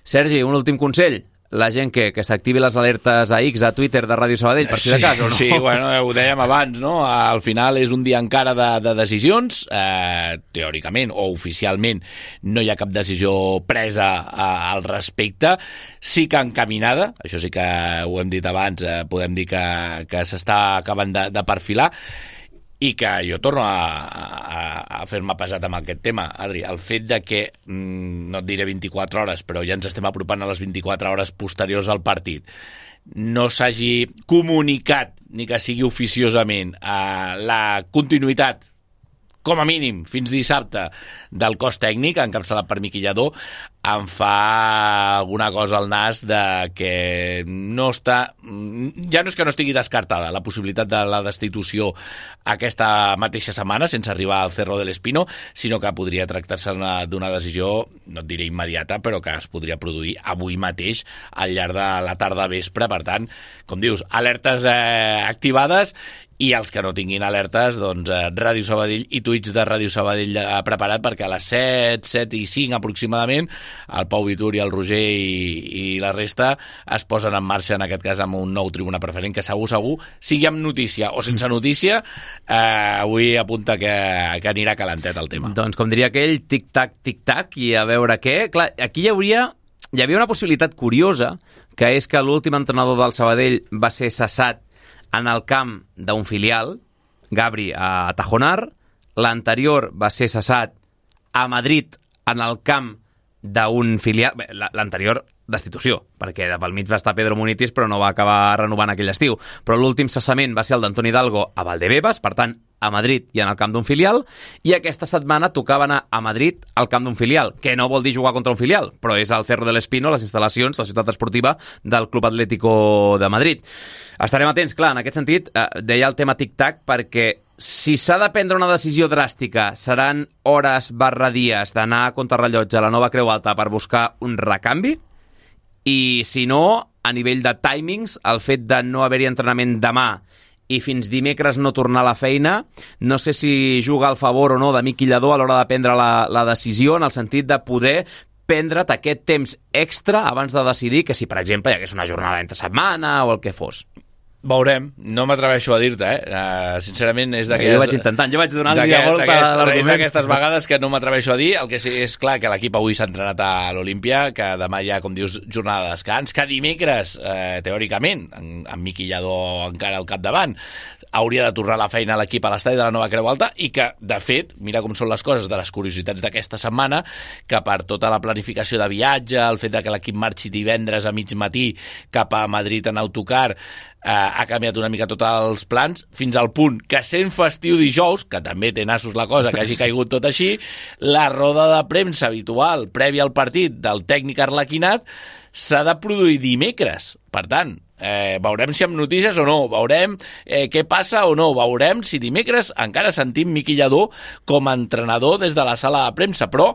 Sergi, un últim consell. La gent que s'activi les alertes a X, a Twitter de Ràdio Sabadell, per si de cas, o no? Sí, bueno, ho dèiem abans, no? Al final és un dia encara de decisions, teòricament o oficialment no hi ha cap decisió presa al respecte, sí que encaminada, això sí que ho hem dit abans, podem dir que s'està acabant de perfilar, i que jo torno a fer-me pesat amb aquest tema, Adri, el fet de que, no et diré 24 hores, però ja ens estem apropant a les 24 hores posteriors al partit, no s'hagi comunicat, ni que sigui oficiosament, la continuïtat, com a mínim, fins dissabte, del cos tècnic, encapçalat per Miqui Lladó, em fa alguna cosa al nas de que no està... Ja no és que no estigui descartada la possibilitat de la destitució aquesta mateixa setmana, sense arribar al Cerro del Espino, sinó que podria tractar-se d'una decisió, no et diré immediata, però que es podria produir avui mateix al llarg de la tarda vespre. Per tant, com dius, alertes activades, i els que no tinguin alertes, doncs Ràdio Sabadell i tuits de Ràdio Sabadell preparat, perquè a les 7 i 5 aproximadament el Pau Vitur i el Roger i la resta es posen en marxa, en aquest cas amb un nou tribuna preferent que segur, sigui amb notícia o sense notícia, avui apunta que anirà calentet el tema. Doncs com diria aquell, tic-tac, i a veure què. Clar, aquí hi havia una possibilitat curiosa, que és que l'últim entrenador del Sabadell va ser cessat en el camp d'un filial, Gabri, a Tajonar. L'anterior va ser cessat a Madrid en el camp d'un filial. Bé, l'anterior, destitució, perquè pel mig va estar Pedro Munitis, però no va acabar renovant aquell estiu. Però l'últim cessament va ser el d'Antoni Hidalgo a Valdebebas, per tant, a Madrid i en el camp d'un filial, i aquesta setmana tocava anar a Madrid al camp d'un filial, que no vol dir jugar contra un filial, però és al Cerro del Espino, les instal·lacions, la ciutat esportiva del Club Atlético de Madrid. Estarem atents, clar, en aquest sentit, deia el tema tic-tac, perquè si s'ha de prendre una decisió dràstica, seran hores/dies d'anar a contrarrellotge a la nova Creu Alta per buscar un recanvi, i si no, a nivell de timings, el fet de no haver-hi entrenament demà i fins dimecres no tornar a la feina, no sé si juga al favor o no de Miqui Lladó a l'hora de prendre la decisió, en el sentit de poder prendre't aquest temps extra abans de decidir que si, per exemple, hi hagués una jornada entre setmana o el que fos. Veurem, no m'atreveixo a dir-te, sincerament és d'aquelles... Jo vaig intentant, jo vaig donar-li la volta a l'argument. És d'aquestes vegades que no m'atreveixo a dir. El que sí és clar que l'equip avui s'ha entrenat a l'Olímpia, que demà hi ha, com dius, jornada de descans, que dimecres, teòricament, amb Miqui Lladó encara al capdavant, hauria de tornar a la feina a l'equip a l'estadi de la nova Creu Alta, i que, de fet, mira com són les coses, de les curiositats d'aquesta setmana, que per tota la planificació de viatge, el fet de que l'equip marxi divendres a mig matí cap a Madrid en autocar, ha canviat una mica tots els plans, fins al punt que, sent festiu dijous, que també té nassos la cosa, que hagi caigut tot així, la roda de premsa habitual prèvia al partit del tècnic arlequinat s'ha de produir dimecres. Per tant, veurem si amb notícies o no, veurem què passa o no, veurem si dimecres encara sentim Miqui Lladó com a entrenador des de la sala de premsa, però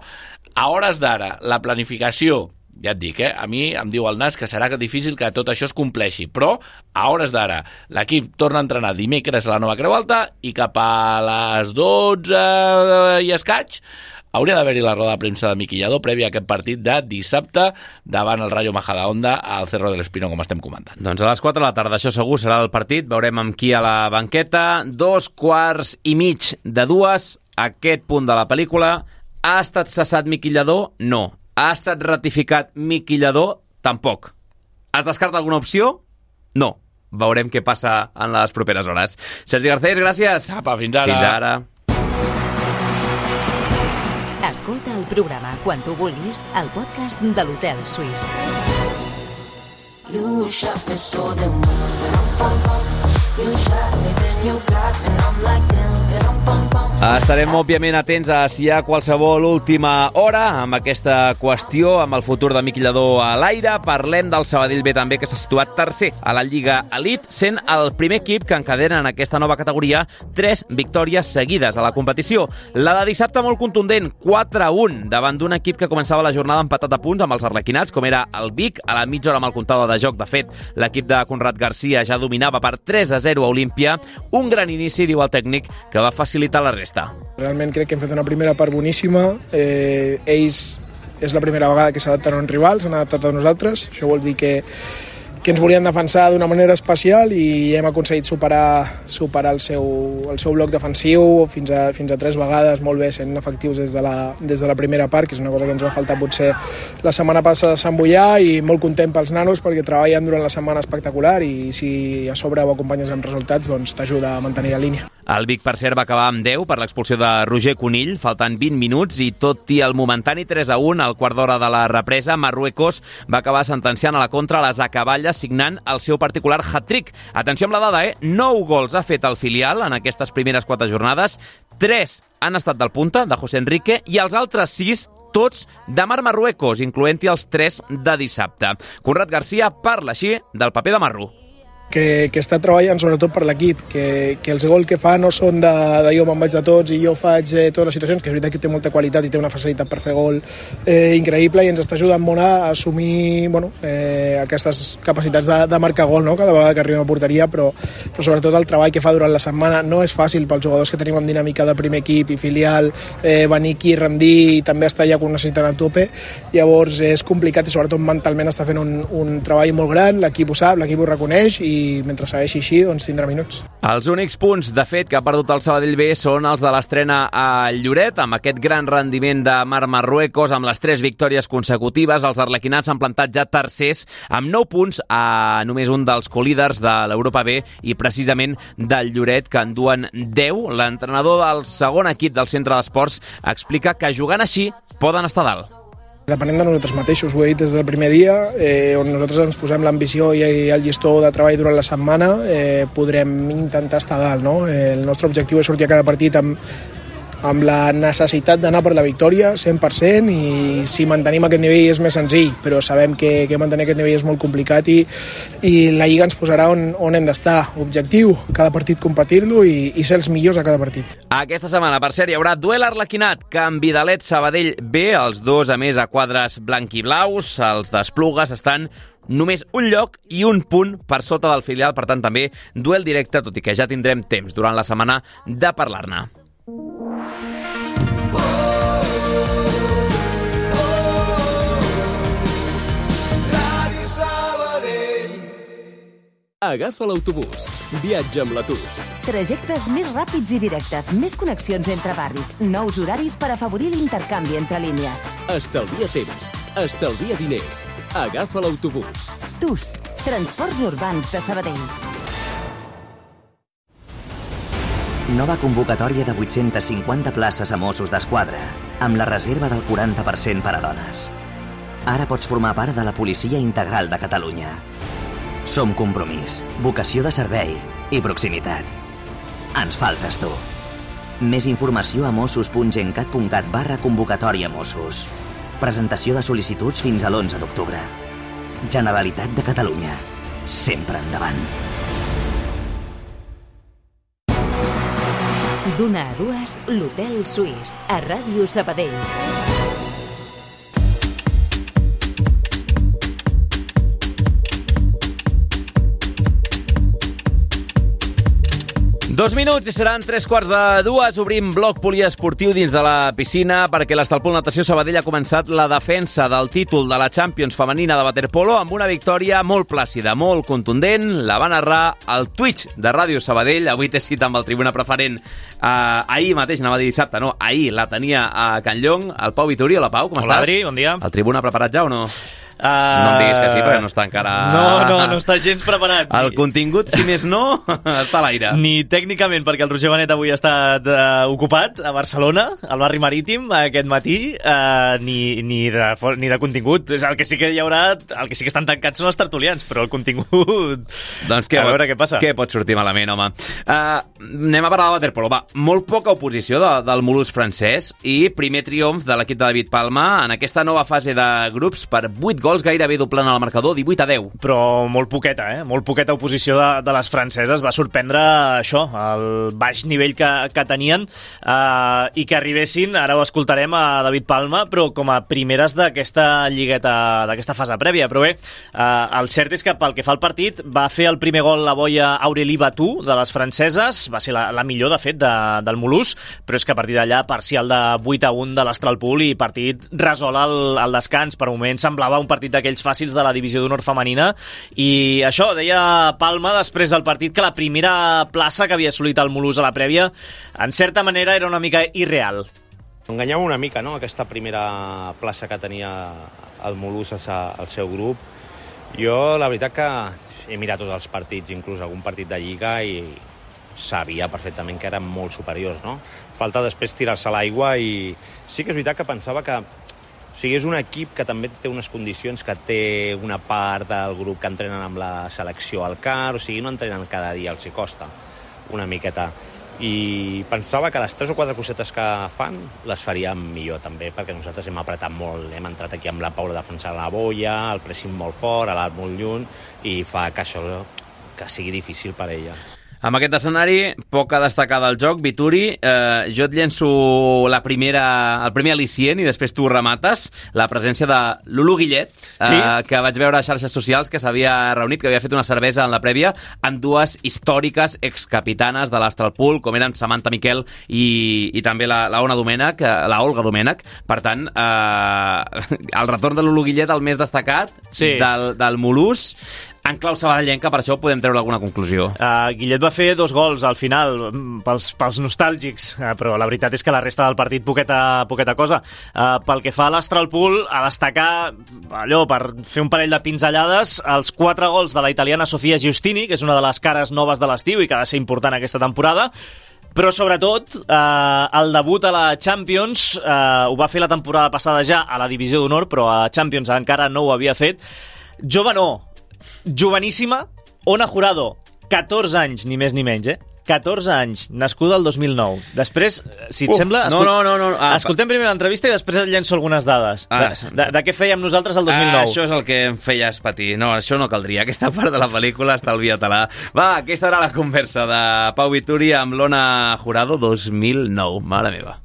a hores d'ara la planificació ja et dic, a mi em diu el nas que serà difícil que tot això es compleixi, però a hores d'ara l'equip torna a entrenar dimecres a la Nova Creu Alta i cap a les 12 i escaig hauria d'haver-hi la roda de premsa de Miqui Lladó prèvia a aquest partit de dissabte davant el Rayo Majadahonda al Cerro del Espino, com estem comentant. Doncs a les 4 de la tarda, això segur serà el partit, veurem amb qui a la banqueta, 2:15 aquest punt de la pel·lícula. Ha estat cessat Miqui Lladó? No. Ha estat ratificat Miqui Lladó? Tampoc. Es descarta alguna opció? No. Veurem què passa en les properes hores. Sergi Garcés, gràcies. Apa, fins ara. Fins ara. Escolta el programa quan tu vulguis al podcast de l'Hotel Suís. You shot me so damn well. You shot me, then you got me, and I'm like damn. Estarem, òbviament, atents a si hi ha qualsevol última hora amb aquesta qüestió, amb el futur de Miqui Lladó a l'aire. Parlem del Sabadell B també, que s'ha situat tercer a la Lliga Elite, sent el primer equip que encadena en aquesta nova categoria 3 victòries seguides a la competició. La de dissabte molt contundent, 4-1, davant d'un equip que començava la jornada empatat a punts amb els arlequinats, com era el Vic, a la mitja hora amb el comptador de joc. De fet, l'equip de Conrad Garcia ja dominava per 3-0 a Olímpia. Un gran inici, diu el tècnic, que va facilitar la resta. Realment crec que hem fet una primera part boníssima. Ells és la primera vegada que s'adapten a un rival, s'han adaptat a nosaltres. Això vol dir que ens volien defensar d'una manera especial i hem aconseguit superar el seu bloc defensiu fins a 3 vegades, molt bé, sent efectius des de la primera part, que és una cosa que ens va faltar potser la setmana passada a Sant Boià, i molt content pels nanos perquè treballen durant la setmana espectacular i si a sobre ho acompanyes amb resultats, doncs t'ajuda a mantenir la línia. El Vic, per cert, va acabar amb 10 per l'expulsió de Roger Conill, faltant 20 minuts, i tot i el momentani 3-1 al quart d'hora de la represa, Marruecos va acabar sentenciant a la contra les acaballes, signant el seu particular hat-trick. Atenció amb la dada, 9 gols ha fet el filial en aquestes primeres 4 jornades, 3 han estat del punta, de José Enrique, i els altres 6 tots de Mar Marruecos, incloent-hi els 3 de dissabte. Conrad Garcia parla així del paper de Marru. Que està treballant sobretot per l'equip, que els gols que fa no són de jo me'n vaig de tots i jo faig totes les situacions, que és veritat que té molta qualitat i té una facilitat per fer gol increïble, i ens està ajudant molt a assumir aquestes capacitats de marcar gol, no? Cada vegada que arriba a porteria, però sobretot el treball que fa durant la setmana no és fàcil pels jugadors que tenim amb dinàmica de primer equip i filial, venir aquí, rendir i també estar allà quan necessiten a tope. Llavors és complicat i sobretot mentalment està fent un treball molt gran, l'equip ho sap, l'equip ho reconeix, i mentre segueixi així, doncs tindrà minuts. Els únics punts, de fet, que ha perdut el Sabadell B són els de l'estrena a Lloret, amb aquest gran rendiment de Mar Marruecos, amb les 3 victòries consecutives. Els arlequinats s'han plantat ja tercers, amb 9 punts a només un dels colíders de l'Europa B, i precisament del Lloret, que en duen 10. L'entrenador del segon equip del centre d'esports explica que jugant així poden estar dalt. Depenem de nosaltres mateixos, ho he dit des del primer dia, on nosaltres ens posem l'ambició i el llistó de treball durant la setmana, podrem intentar estar dalt, no? El nostre objectiu és sortir a cada partit amb la necessitat d'anar per la victòria 100%, i si mantenim aquest nivell és més senzill, però sabem que mantenir aquest nivell és molt complicat i la Lliga ens posarà on hem d'estar. Objectiu, cada partit competir-lo i ser els millors a cada partit. Aquesta setmana, per cert, hi haurà duel arlequinat, Canvidalet Sabadell B, els dos a més a quadres blanc i blaus. Els d'Esplugues estan només un lloc i un punt per sota del filial, per tant també duel directe, tot i que ja tindrem temps durant la setmana de parlar-ne. Agafa l'autobús. Viatja amb l'Atus. Trajectes més ràpids i directes, més connexions entre barris, nous horaris per afavorir l'intercanvi entre línies. Estalvia temps, estalvia diners. Agafa l'autobús. TUS, Transports Urbans de Sabadell. Nova convocatòria de 850 places a Mossos d'Esquadra, amb la reserva del 40% per a dones. Ara pots formar part de la Policia Integral de Catalunya. Som compromís, vocació de servei i proximitat. Ens faltes tu. Més informació a mossos.gencat.cat/convocatòria Mossos. Presentació de sol·licituds fins a l'11 d'octubre. Generalitat de Catalunya. Sempre endavant. D'una a dues, l'Hotel Suís, a Ràdio Sabadell. 2 minuts i seran 3:45. Obrim bloc poliesportiu dins de la piscina perquè l'Estalpol Natació Sabadell ha començat la defensa del títol de la Champions femenina de waterpolo amb una victòria molt plàcida, molt contundent. La va narrar al Twitch de Ràdio Sabadell. Avui té cita amb el tribuna preferent. Ahir mateix, anava a dir dissabte, no, ahir la tenia a Can Llong, el Pau Vituri. Hola, Pau, com estàs? Hola, Adri, bon dia. El tribuna preparat ja o no? No em diguis que sí, perquè no està encara... No està gens preparat. El contingut, si més no, està a l'aire. Ni tècnicament, perquè el Roger Benet avui ha estat ocupat a Barcelona, al barri marítim, aquest matí, ni de contingut. El que sí que hi haurà, el que sí que estan tancats són els tertulians, però el contingut... Doncs a veure què passa. Què pot sortir malament, home? Anem a parlar de waterpolo. Va, molt poca oposició del Molús francès i primer triomf de l'equip de David Palma en aquesta nova fase de grups per 8 gols, gairebé doblant el marcador, 18-10. Però molt poqueta, molt poqueta oposició de les franceses. Va sorprendre això, el baix nivell que tenien i que arribessin, ara ho escoltarem, a David Palma, però com a primeres d'aquesta lligueta, d'aquesta fase prèvia. Però bé, el cert és que pel que fa al partit va fer el primer gol la boia Aurélie Batou de les franceses, va ser la millor, de fet, del Molús, però és que a partir d'allà parcial de 8-1 de l'Astralpool i partit resol al descans. Per un moment semblava un partit d'aquells fàcils de la divisió d'honor femenina i això, deia Palma després del partit, que la primera plaça que havia assolit el Molús a la prèvia en certa manera era una mica irreal. Enganyava una mica, no?, aquesta primera plaça que tenia el Molús al seu grup. Jo la veritat que he mirat tots els partits, inclús algun partit de Lliga, i sabia perfectament que eren molt superiors, no? Falta després tirar-se a l'aigua i sí que és veritat que pensava que és un equip que també té unes condicions, que té una part del grup que entrenen amb la selecció al CAR, o sigui, no entrenen cada dia, els hi costa una miqueta. I pensava que les 3 o 4 cosetes que fan les faríem millor també, perquè nosaltres hem apretat molt, hem entrat aquí amb la Paula defensant la boia, el pressing molt fort, l'art molt lluny, i fa que això que sigui difícil per ella. Amb aquest escenari, poc a destacar del joc. Vituri, jo et llenço el primer al·licient i després tu remates. La presència de Lulu Guillet, que vaig veure a xarxes socials que s'havia reunit, que havia fet una cervesa en la prèvia amb dues històriques excapitanes de l'Astralpool, com eren Samantha Miquel i també la Olga Domènech. Per tant, el retorn de Lulu Guillet, el més destacat del Molús, en clau sabadellenca, per això podem treure alguna conclusió. Guillet va fer 2 gols al final, pels nostàlgics, però la veritat és que la resta del partit poqueta cosa. Pel que fa a l'Astralpool, a destacar allò, per fer un parell de pinzellades, els 4 gols de la italiana Sofia Giustini, que és una de les cares noves de l'estiu i que ha de ser important aquesta temporada, però sobretot el debut a la Champions ho va fer la temporada passada ja a la divisió d'honor, però a Champions encara no ho havia fet. Joveníssima, Ona Jurado, 14 anys, ni més ni menys, 14 anys, nascuda el 2009. Després, si et sembla... escoltem primer l'entrevista i després et llenço algunes dades. De què fèiem nosaltres el 2009? Això és el que em feies patir. No, això no caldria. Aquesta part de la pel·lícula estalvia-te-la. Va, aquesta era la conversa de Pau Vituri amb l'Ona Jurado 2009. Mare meva.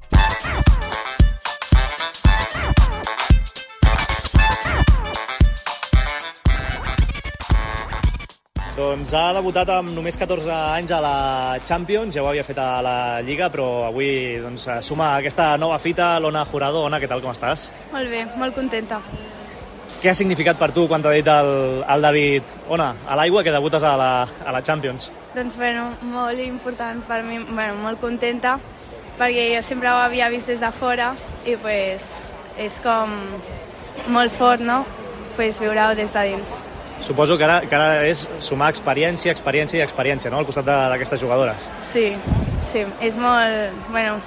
Doncs ha debutat amb només 14 anys a la Champions, ja ho havia fet a la Lliga, però avui suma aquesta nova fita l'Ona Jurado. Ona, què tal, com estàs? Molt bé, molt contenta. Què ha significat per tu quan t'ha dit el David, Ona, a l'aigua, que debutes a la Champions? Doncs, molt important per mi, molt contenta, perquè jo sempre ho havia vist des de fora i és com molt fort, no? Viure-ho des de dins. Suposo que ara és sumar experiència, no?, al costat d'aquestes jugadores. Sí, és molt...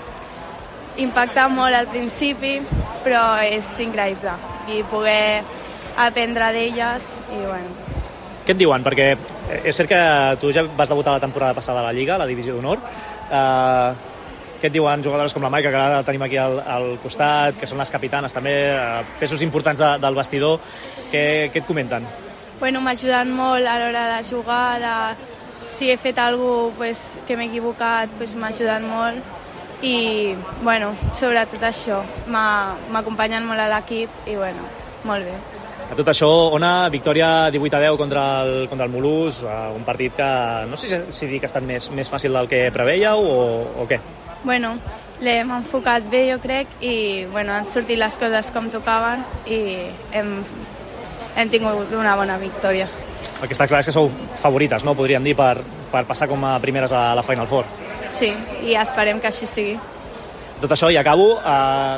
impacta molt al principi, però és increïble. I poder aprendre d'elles i, Què et diuen? Perquè és cert que tu ja vas debutar la temporada passada a la Lliga, a la Divisió d'Honor. Què et diuen jugadores com la Maica, que ara la tenim aquí al costat, que són les capitanes també, pesos importants del vestidor? Què et comenten? M'ajuden molt a l'hora de jugar, si he fet alguna cosa que m'he equivocat, m'ajuden molt i, sobretot això, m'acompanyen molt a l'equip i, molt bé. A tot això, Ona, victòria 18-10 contra el Mulús, un partit que no sé si dir que ha estat més fàcil del que preveieu o què. Bueno, l'hem enfocat bé, jo crec, i han sortit les coses com tocaven i hem tingut una bona victòria. El que està clar és que sou favorites, no? Podríem dir, per passar com a primeres a la Final Four. Sí, i esperem que així sigui. Tot això, i acabo,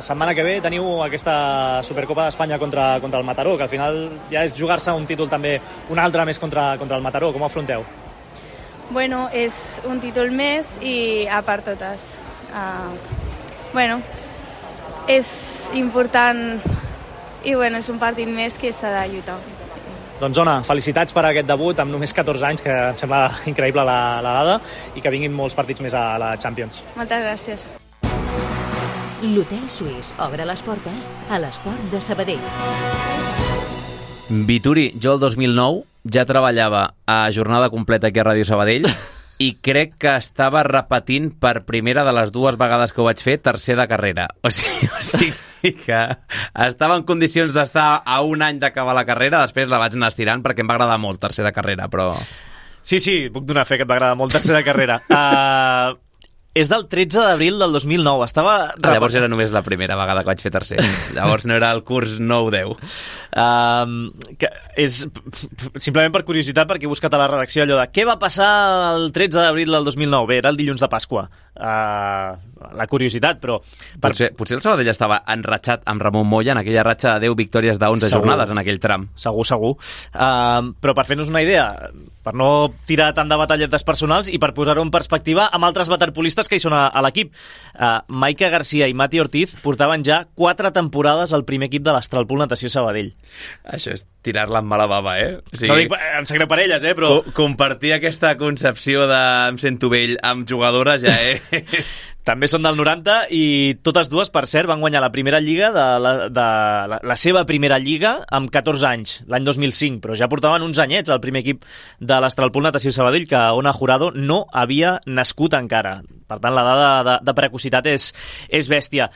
setmana que ve teniu aquesta Supercopa d'Espanya contra el Mataró, que al final ja és jugar-se un títol també, un altre més contra el Mataró. Com ho afronteu? Bueno, és un títol més i a part totes. És important i és un partit més que s'ha de lluitar. Doncs, Ona, felicitats per aquest debut amb només 14 anys, que em sembla increïble la dada, i que vinguin molts partits més a la Champions. Moltes gràcies. L'Hotel Suís obre les portes a l'esport de Sabadell. Vituri, jo el 2009 ja treballava a jornada completa aquí a Ràdio Sabadell i crec que estava repetint per primera de les 2 vegades que ho vaig fer tercer de carrera. O sigui que estava en condicions d'estar a un any d'acabar la carrera, després la vaig anar estirant perquè em va agradar molt tercer de carrera, però... Sí, puc donar fe que et va agradar molt tercer de carrera. És del 13 d'abril del 2009. Llavors era només la primera vegada que vaig fer tercer. Llavors no era el curs 9-10. És simplement per curiositat, perquè he buscat a la redacció allò de què va passar el 13 d'abril del 2009. Bé, era el dilluns de Pasqua. La curiositat, però... Potser el Sabadell estava enratxat amb Ramon Moya en aquella ratxa de 10 victòries de 11 jornades en aquell tram. Segur. Però per fer-nos una idea, per no tirar tant de batalletes personals i per posar-ho en perspectiva amb altres waterpolistes que hi són a l'equip. Maica Garcia i Mati Ortiz portaven ja 4 temporades al primer equip de l'Astralpool Natació Sabadell. Això és tirar-la amb mala bava, eh? O sigui, no dic, em sap greu per elles, però... Compartir aquesta concepció de em sento vell amb jugadores ja és... També són del 90 i totes dues, per cert, van guanyar la primera lliga la seva primera lliga amb 14 anys, l'any 2005, però ja portaven uns anyets al primer equip de l'Astralpool Natació Sabadell, que Ona Jurado no havia nascut encara. Per tant, la dada de precocitat és bèstia.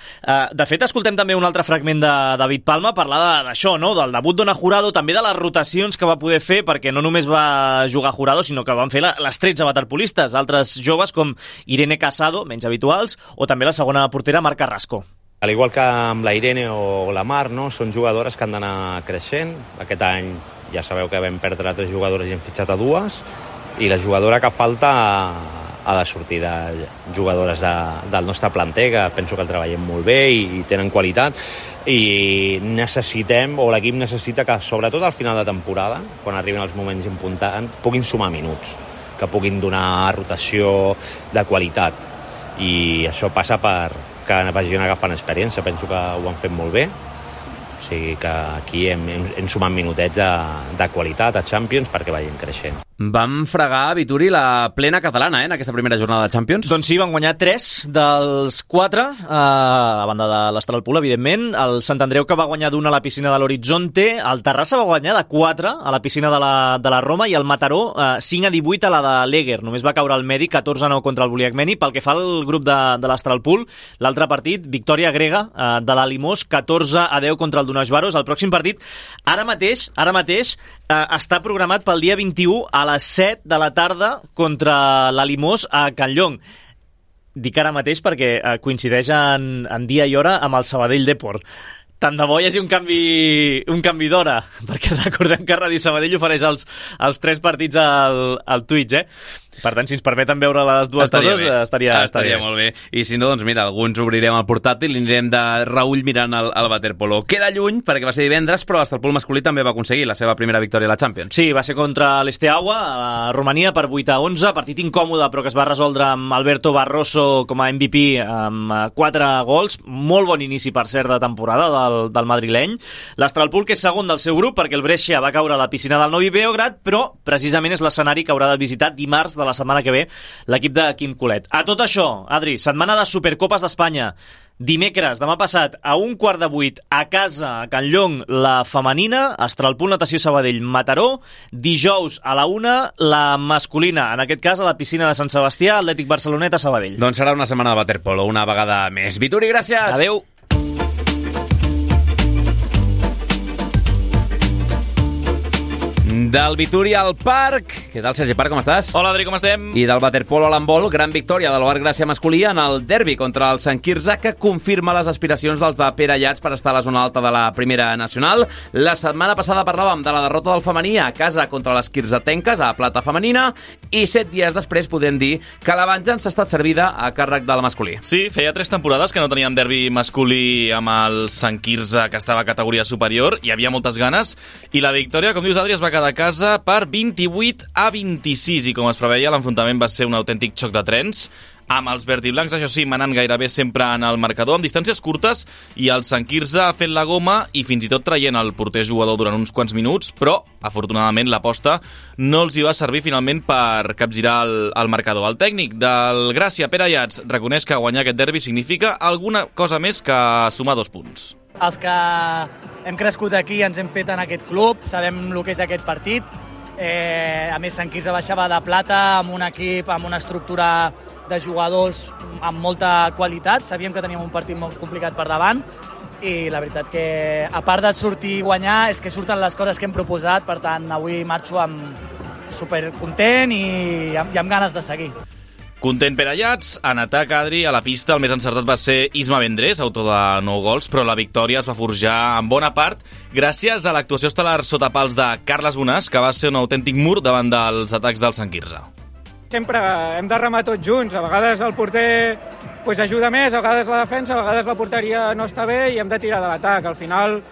De fet, escoltem també un altre fragment de David Palma parlar d'això, no? Del debut d'Ona Jurado, també de les rotacions que va poder fer, perquè no només va jugar Jurado, sinó que van fer les 13 waterpolistes, altres joves com Irene Casado, menys habituals, o també la segona portera, Mar Carrasco. Al igual que amb la Irene o la Mar, no? Són jugadores que han d'anar creixent. Aquest any ja sabeu que vam perdre 3 jugadores i hem fitxat a 2, i la jugadora que falta ha de sortir de jugadores del nostre planter, que penso que el treballem molt bé i tenen qualitat, i necessitem, o l'equip necessita que, sobretot al final de temporada, quan arriben els moments importants, puguin sumar minuts, que puguin donar rotació de qualitat, i això passa per que vagin agafant experiència. Penso que ho han fet molt bé, o sigui que aquí hem sumat minutets de qualitat a Champions perquè vagin creixent. Vam fregar a Vituri la plena catalana, en aquesta primera jornada de Champions. Doncs sí, van guanyar 3 dels 4, a banda de l'Astralpool, evidentment. El Sant Andreu, que va guanyar d'1 a la piscina de l'Horizonte. El Terrassa va guanyar de 4 a la piscina de la Roma, i el Mataró 5-18 a la de l'Eger. Només va caure el Medi 14-9 contra el Buliacmeni. Pel que fa al grup de l'Astralpool, l'altre partit, victòria grega de la Limós, 14-10 contra el Donashvaros. El pròxim partit, ara mateix està programat pel dia 21 a les 7 de la tarda contra la Limós a Can Llong. Dic ara mateix perquè coincideix en dia i hora amb el Sabadell Deport. Tant de bo hi hagi un canvi d'hora, perquè recordem que Ràdio Sabadell ofereix els 3 partits al Twitch, Per tant, si ens permeten veure les dues coses, estaria molt bé. I si no, doncs mira, alguns obrirem el portàtil i anirem de reull mirant el waterpolo. Queda lluny, perquè va ser divendres, però l'Astralpool masculí també va aconseguir la seva primera victòria a la Champions. Sí, va ser contra l'Esteaua, a Romania, per 8-11, partit incòmode, però que es va resoldre amb Alberto Barroso com a MVP amb 4 gols. Molt bon inici, per cert, de temporada del madrileny. L'Astralpool, que és segon del seu grup, perquè el Brescia va caure a la piscina del Novi Beograd, però precisament és l'escenari que haurà de visitar dimarts de la setmana que ve l'equip de Quim Colet. A tot això, Adri, setmana de Supercopes d'Espanya. Dimecres, demà passat, a 7:15 a casa, a Can Llong, la femenina, Astralpool Natació Sabadell, Mataró. Dijous a la 1, la masculina, en aquest cas a la piscina de Sant Sebastià, Atlètic Barceloneta, Sabadell. Doncs serà una setmana de waterpolo, una vegada més. Vituri, gràcies! Adéu! Del Vitúria al Parc. Què tal, Sergi Parc, com estàs? Hola, Adri, com estem? I del waterpolo a l'handbol, gran victòria de l'Oar Gràcia masculí en el derbi contra el Sant Quirze, que confirma les aspiracions dels de Pere Llats per estar a la zona alta de la primera nacional. La setmana passada parlàvem de la derrota del femení a casa contra les quirzetenques a plata femenina i 7 dies després podem dir que la venjança ha estat servida a càrrec del masculí. Sí, feia 3 temporades que no teníem derbi masculí amb el Sant Quirze, que estava a categoria superior. Hi havia moltes ganes i la victòria, com dius, Adri, es va quedar a casa per 28-26 i com es preveia l'enfrontament va ser un autèntic xoc de trens amb els verdiblancs, això sí, manant gairebé sempre en el marcador, amb distàncies curtes, i el Sant Quirze ha fet la goma i fins i tot traient el porter jugador durant uns quants minuts, però, afortunadament, l'aposta no els hi va servir finalment per capgirar el marcador. El tècnic del Gràcia, Pere Llats, reconeix que guanyar aquest derbi significa alguna cosa més que sumar 2 punts. Els que hem crescut aquí ens hem fet en aquest club, sabem el que és aquest partit. A més, Sant Quirze baixava de plata amb un equip, amb una estructura de jugadors amb molta qualitat. Sabíem que teníem un partit molt complicat per davant i la veritat que, a part de sortir i guanyar, és que surten les coses que hem proposat. Per tant, avui marxo supercontent i amb ganes de seguir. Content Pere Llats, en atac, Adri, a la pista el més encertat va ser Isma Vendrés, autor de 9 gols, però la victòria es va forjar en bona part gràcies a l'actuació estel·lar sota pals de Carles Bonàs, que va ser un autèntic mur davant dels atacs del Sant Quirze. Sempre hem de remar tots junts, a vegades el porter ajuda més, a vegades la defensa, a vegades la porteria no està bé i hem de tirar de l'atac. Al final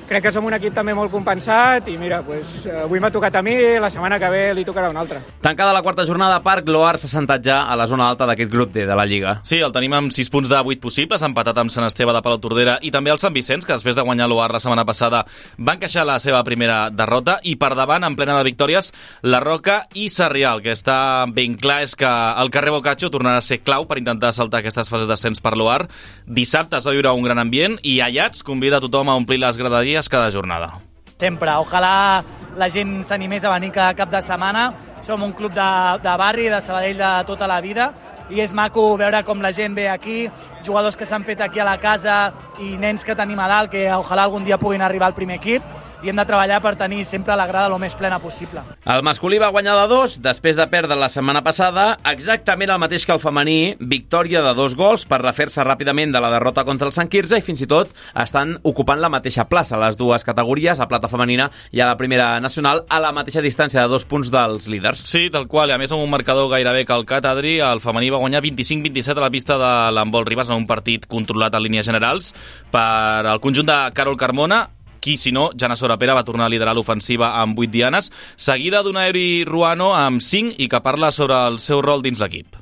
crec que som un equip també molt compensat i mira, avui m'ha tocat a mi, la setmana que ve li tocarà una altra. Tancada la quarta jornada a Parc, l'Oar s'ha sentat ja a la zona alta d'aquest grup D de la Lliga. Sí, el tenim amb 6 punts de 8 possibles, empatat amb Sant Esteve de Palautordera i també el Sant Vicenç, que després de guanyar l'Oar la setmana passada va encaixar la seva primera derrota, i per davant, en plena de victòries, la Roca i Sarrià. El que està ben clar és que el carrer Boccaccio tornarà a ser clau per intentar saltar aquestes fases d'ascens per l'Oar. Dissabte es va viure un gran ambient i Llats convida a tothom a omplir les graderies cada jornada. Sempre. Ojalà la gent s'animés a venir cada cap de setmana. Som un club de barri, de Sabadell de tota la vida, i és maco veure com la gent ve aquí, jugadors que s'han fet aquí a la casa i nens que tenim a dalt, que ojalà algun dia puguin arribar al primer equip, i hem de treballar per tenir sempre la grada el més plena possible. El masculí va guanyar de 2 després de perdre la setmana passada, exactament el mateix que el femení, victòria de 2 gols per refer-se ràpidament de la derrota contra el Sant Quirze, i fins i tot estan ocupant la mateixa plaça, les dues categories, a plata femenina i a la primera nacional, a la mateixa distància de 2 punts dels líders. Sí, tal qual, i a més amb un marcador gairebé calcat, Adri, el femení va guanyar 25-27 a la pista de l'handbol Ribes en un partit controlat en línies generals per el conjunt de Carol Carmona, qui, si no, Jana Sorapera va tornar a liderar l'ofensiva amb 8 dianes, seguida d'una Euri Ruano amb 5 i que parla sobre el seu rol dins l'equip.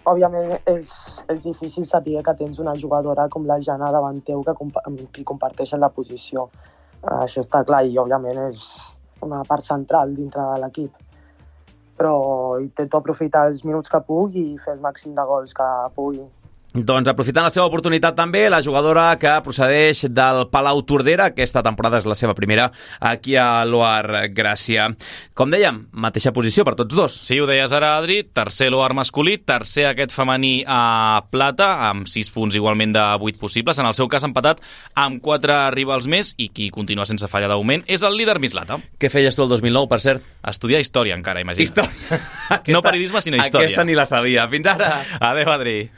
Òbviament és difícil saber que tens una jugadora com la Jana davant teu que comparteixen la posició. Això està clar i òbviament és una part central dintre de l'equip. Però intento aprofitar els minuts que puc i fer el màxim de gols que pugui. Doncs aprofitant la seva oportunitat també, la jugadora que procedeix del Palautordera, aquesta temporada és la seva primera aquí a l'Oar Gràcia. Com dèiem, mateixa posició per tots dos. Sí, ho deies ara, Adri, tercer l'Oar masculí, tercer aquest femení a plata, amb 6 punts igualment de 8 possibles, en el seu cas empatat amb 4 rivals més, i qui continua sense falla d'augment és el líder Mislata. Què feies tu el 2009, per cert? Estudiar història encara, imagina. Història. No periodisme, sinó història. Aquesta ni la sabia. Fins ara. Adéu, Adri.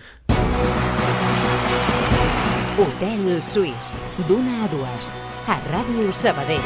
Hotel Suís, d'una a 2, a Ràdio Sabadell.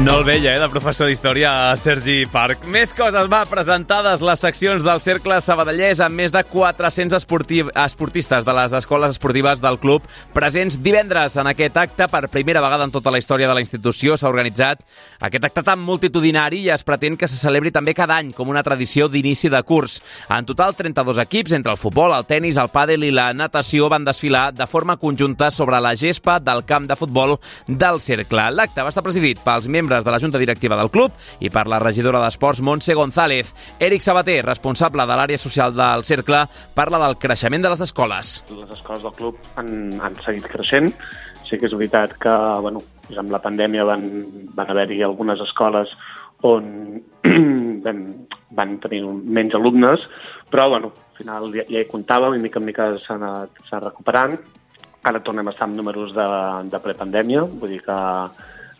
No el veia, de professor d'història, Sergi Parc. Més coses, presentades les seccions del Cercle Sabadellès amb més de 400 esportistes de les escoles esportives del club presents divendres en aquest acte. Per primera vegada en tota la història de la institució s'ha organitzat aquest acte tan multitudinari i es pretén que se celebri també cada any com una tradició d'inici de curs. En total, 32 equips, entre el futbol, el tennis, el pàdel i la natació, van desfilar de forma conjunta sobre la gespa del camp de futbol del Cercle. L'acte va estar presidit pels membres de la Junta Directiva del club i per la regidora d'Esports, Montse González. Eric Sabater, responsable de l'àrea social del Cercle, parla del creixement de les escoles. Les escoles del club han seguit creixent. Sí que és veritat que amb la pandèmia van haver-hi algunes escoles on van tenir menys alumnes, però al final ja hi comptàvem i mica en mica s'ha anat recuperant. Ara tornem a estar amb números de prepandèmia, vull dir que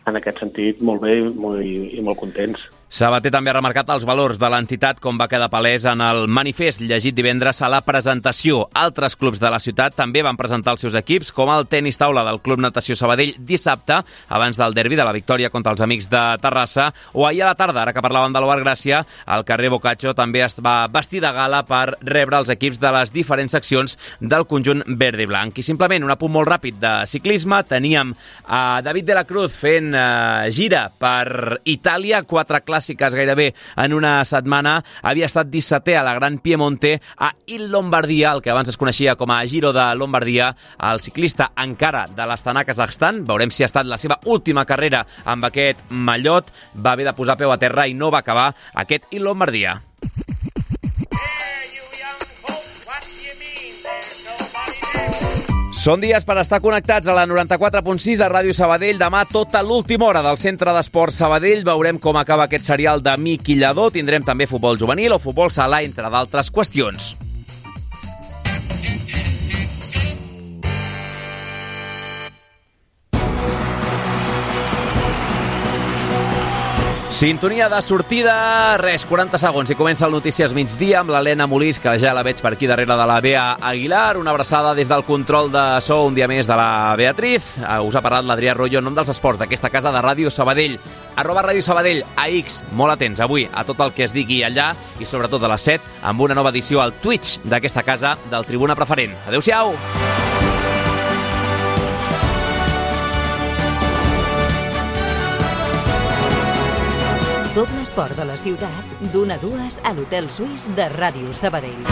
en aquest sentit molt bé i molt contents. Sabater també ha remarcat els valors de l'entitat, com va quedar palès en el manifest llegit divendres a la presentació. Altres clubs de la ciutat també van presentar els seus equips, com el tenis taula del Club Natació Sabadell dissabte, abans del derbi de la victòria contra els Amics de Terrassa, o ahir a la tarda, ara que parlàvem de l'Obar Gràcia, el carrer Boccaccio també es va vestir de gala per rebre els equips de les diferents seccions del conjunt verd i blanc. I simplement un apunt molt ràpid de ciclisme, teníem a David de la Cruz fent gira per Itàlia, 4 clàssiques gairebé en una setmana, havia estat 17è a la Gran Piemonte a Il Lombardia, el que abans es coneixia com a Giro de Lombardia. El ciclista encara de l'Astana, Kazakhstan, veurem si ha estat la seva última carrera amb aquest mallot, va haver de posar peu a terra i no va acabar aquest Il Lombardia. Són dies per estar connectats a la 94.6 a Ràdio Sabadell. Demà tota l'última hora del Centre d'Esports Sabadell. Veurem com acaba aquest serial de Miqui Lladó. Tindrem també futbol juvenil o futbol sala, entre d'altres qüestions. Sintonia de sortida, 40 segons i comença el Notícies Migdia amb l'Helena Molís, que ja la veig per aquí darrere de la Bea Aguilar. Una abraçada des del control de so un dia més de la Beatriz. Us ha parlat l'Adrià Royo en nom dels esports d'aquesta casa de Ràdio Sabadell. @Ràdio Sabadell, a X, molt atents avui a tot el que es digui allà i sobretot a les 7 amb una nova edició al Twitch d'aquesta casa del Tribuna Preferent. Adéu-siau! Tot l'esport de la ciutat, d'1 a 2 a l'Hotel Suís de Ràdio Sabadell.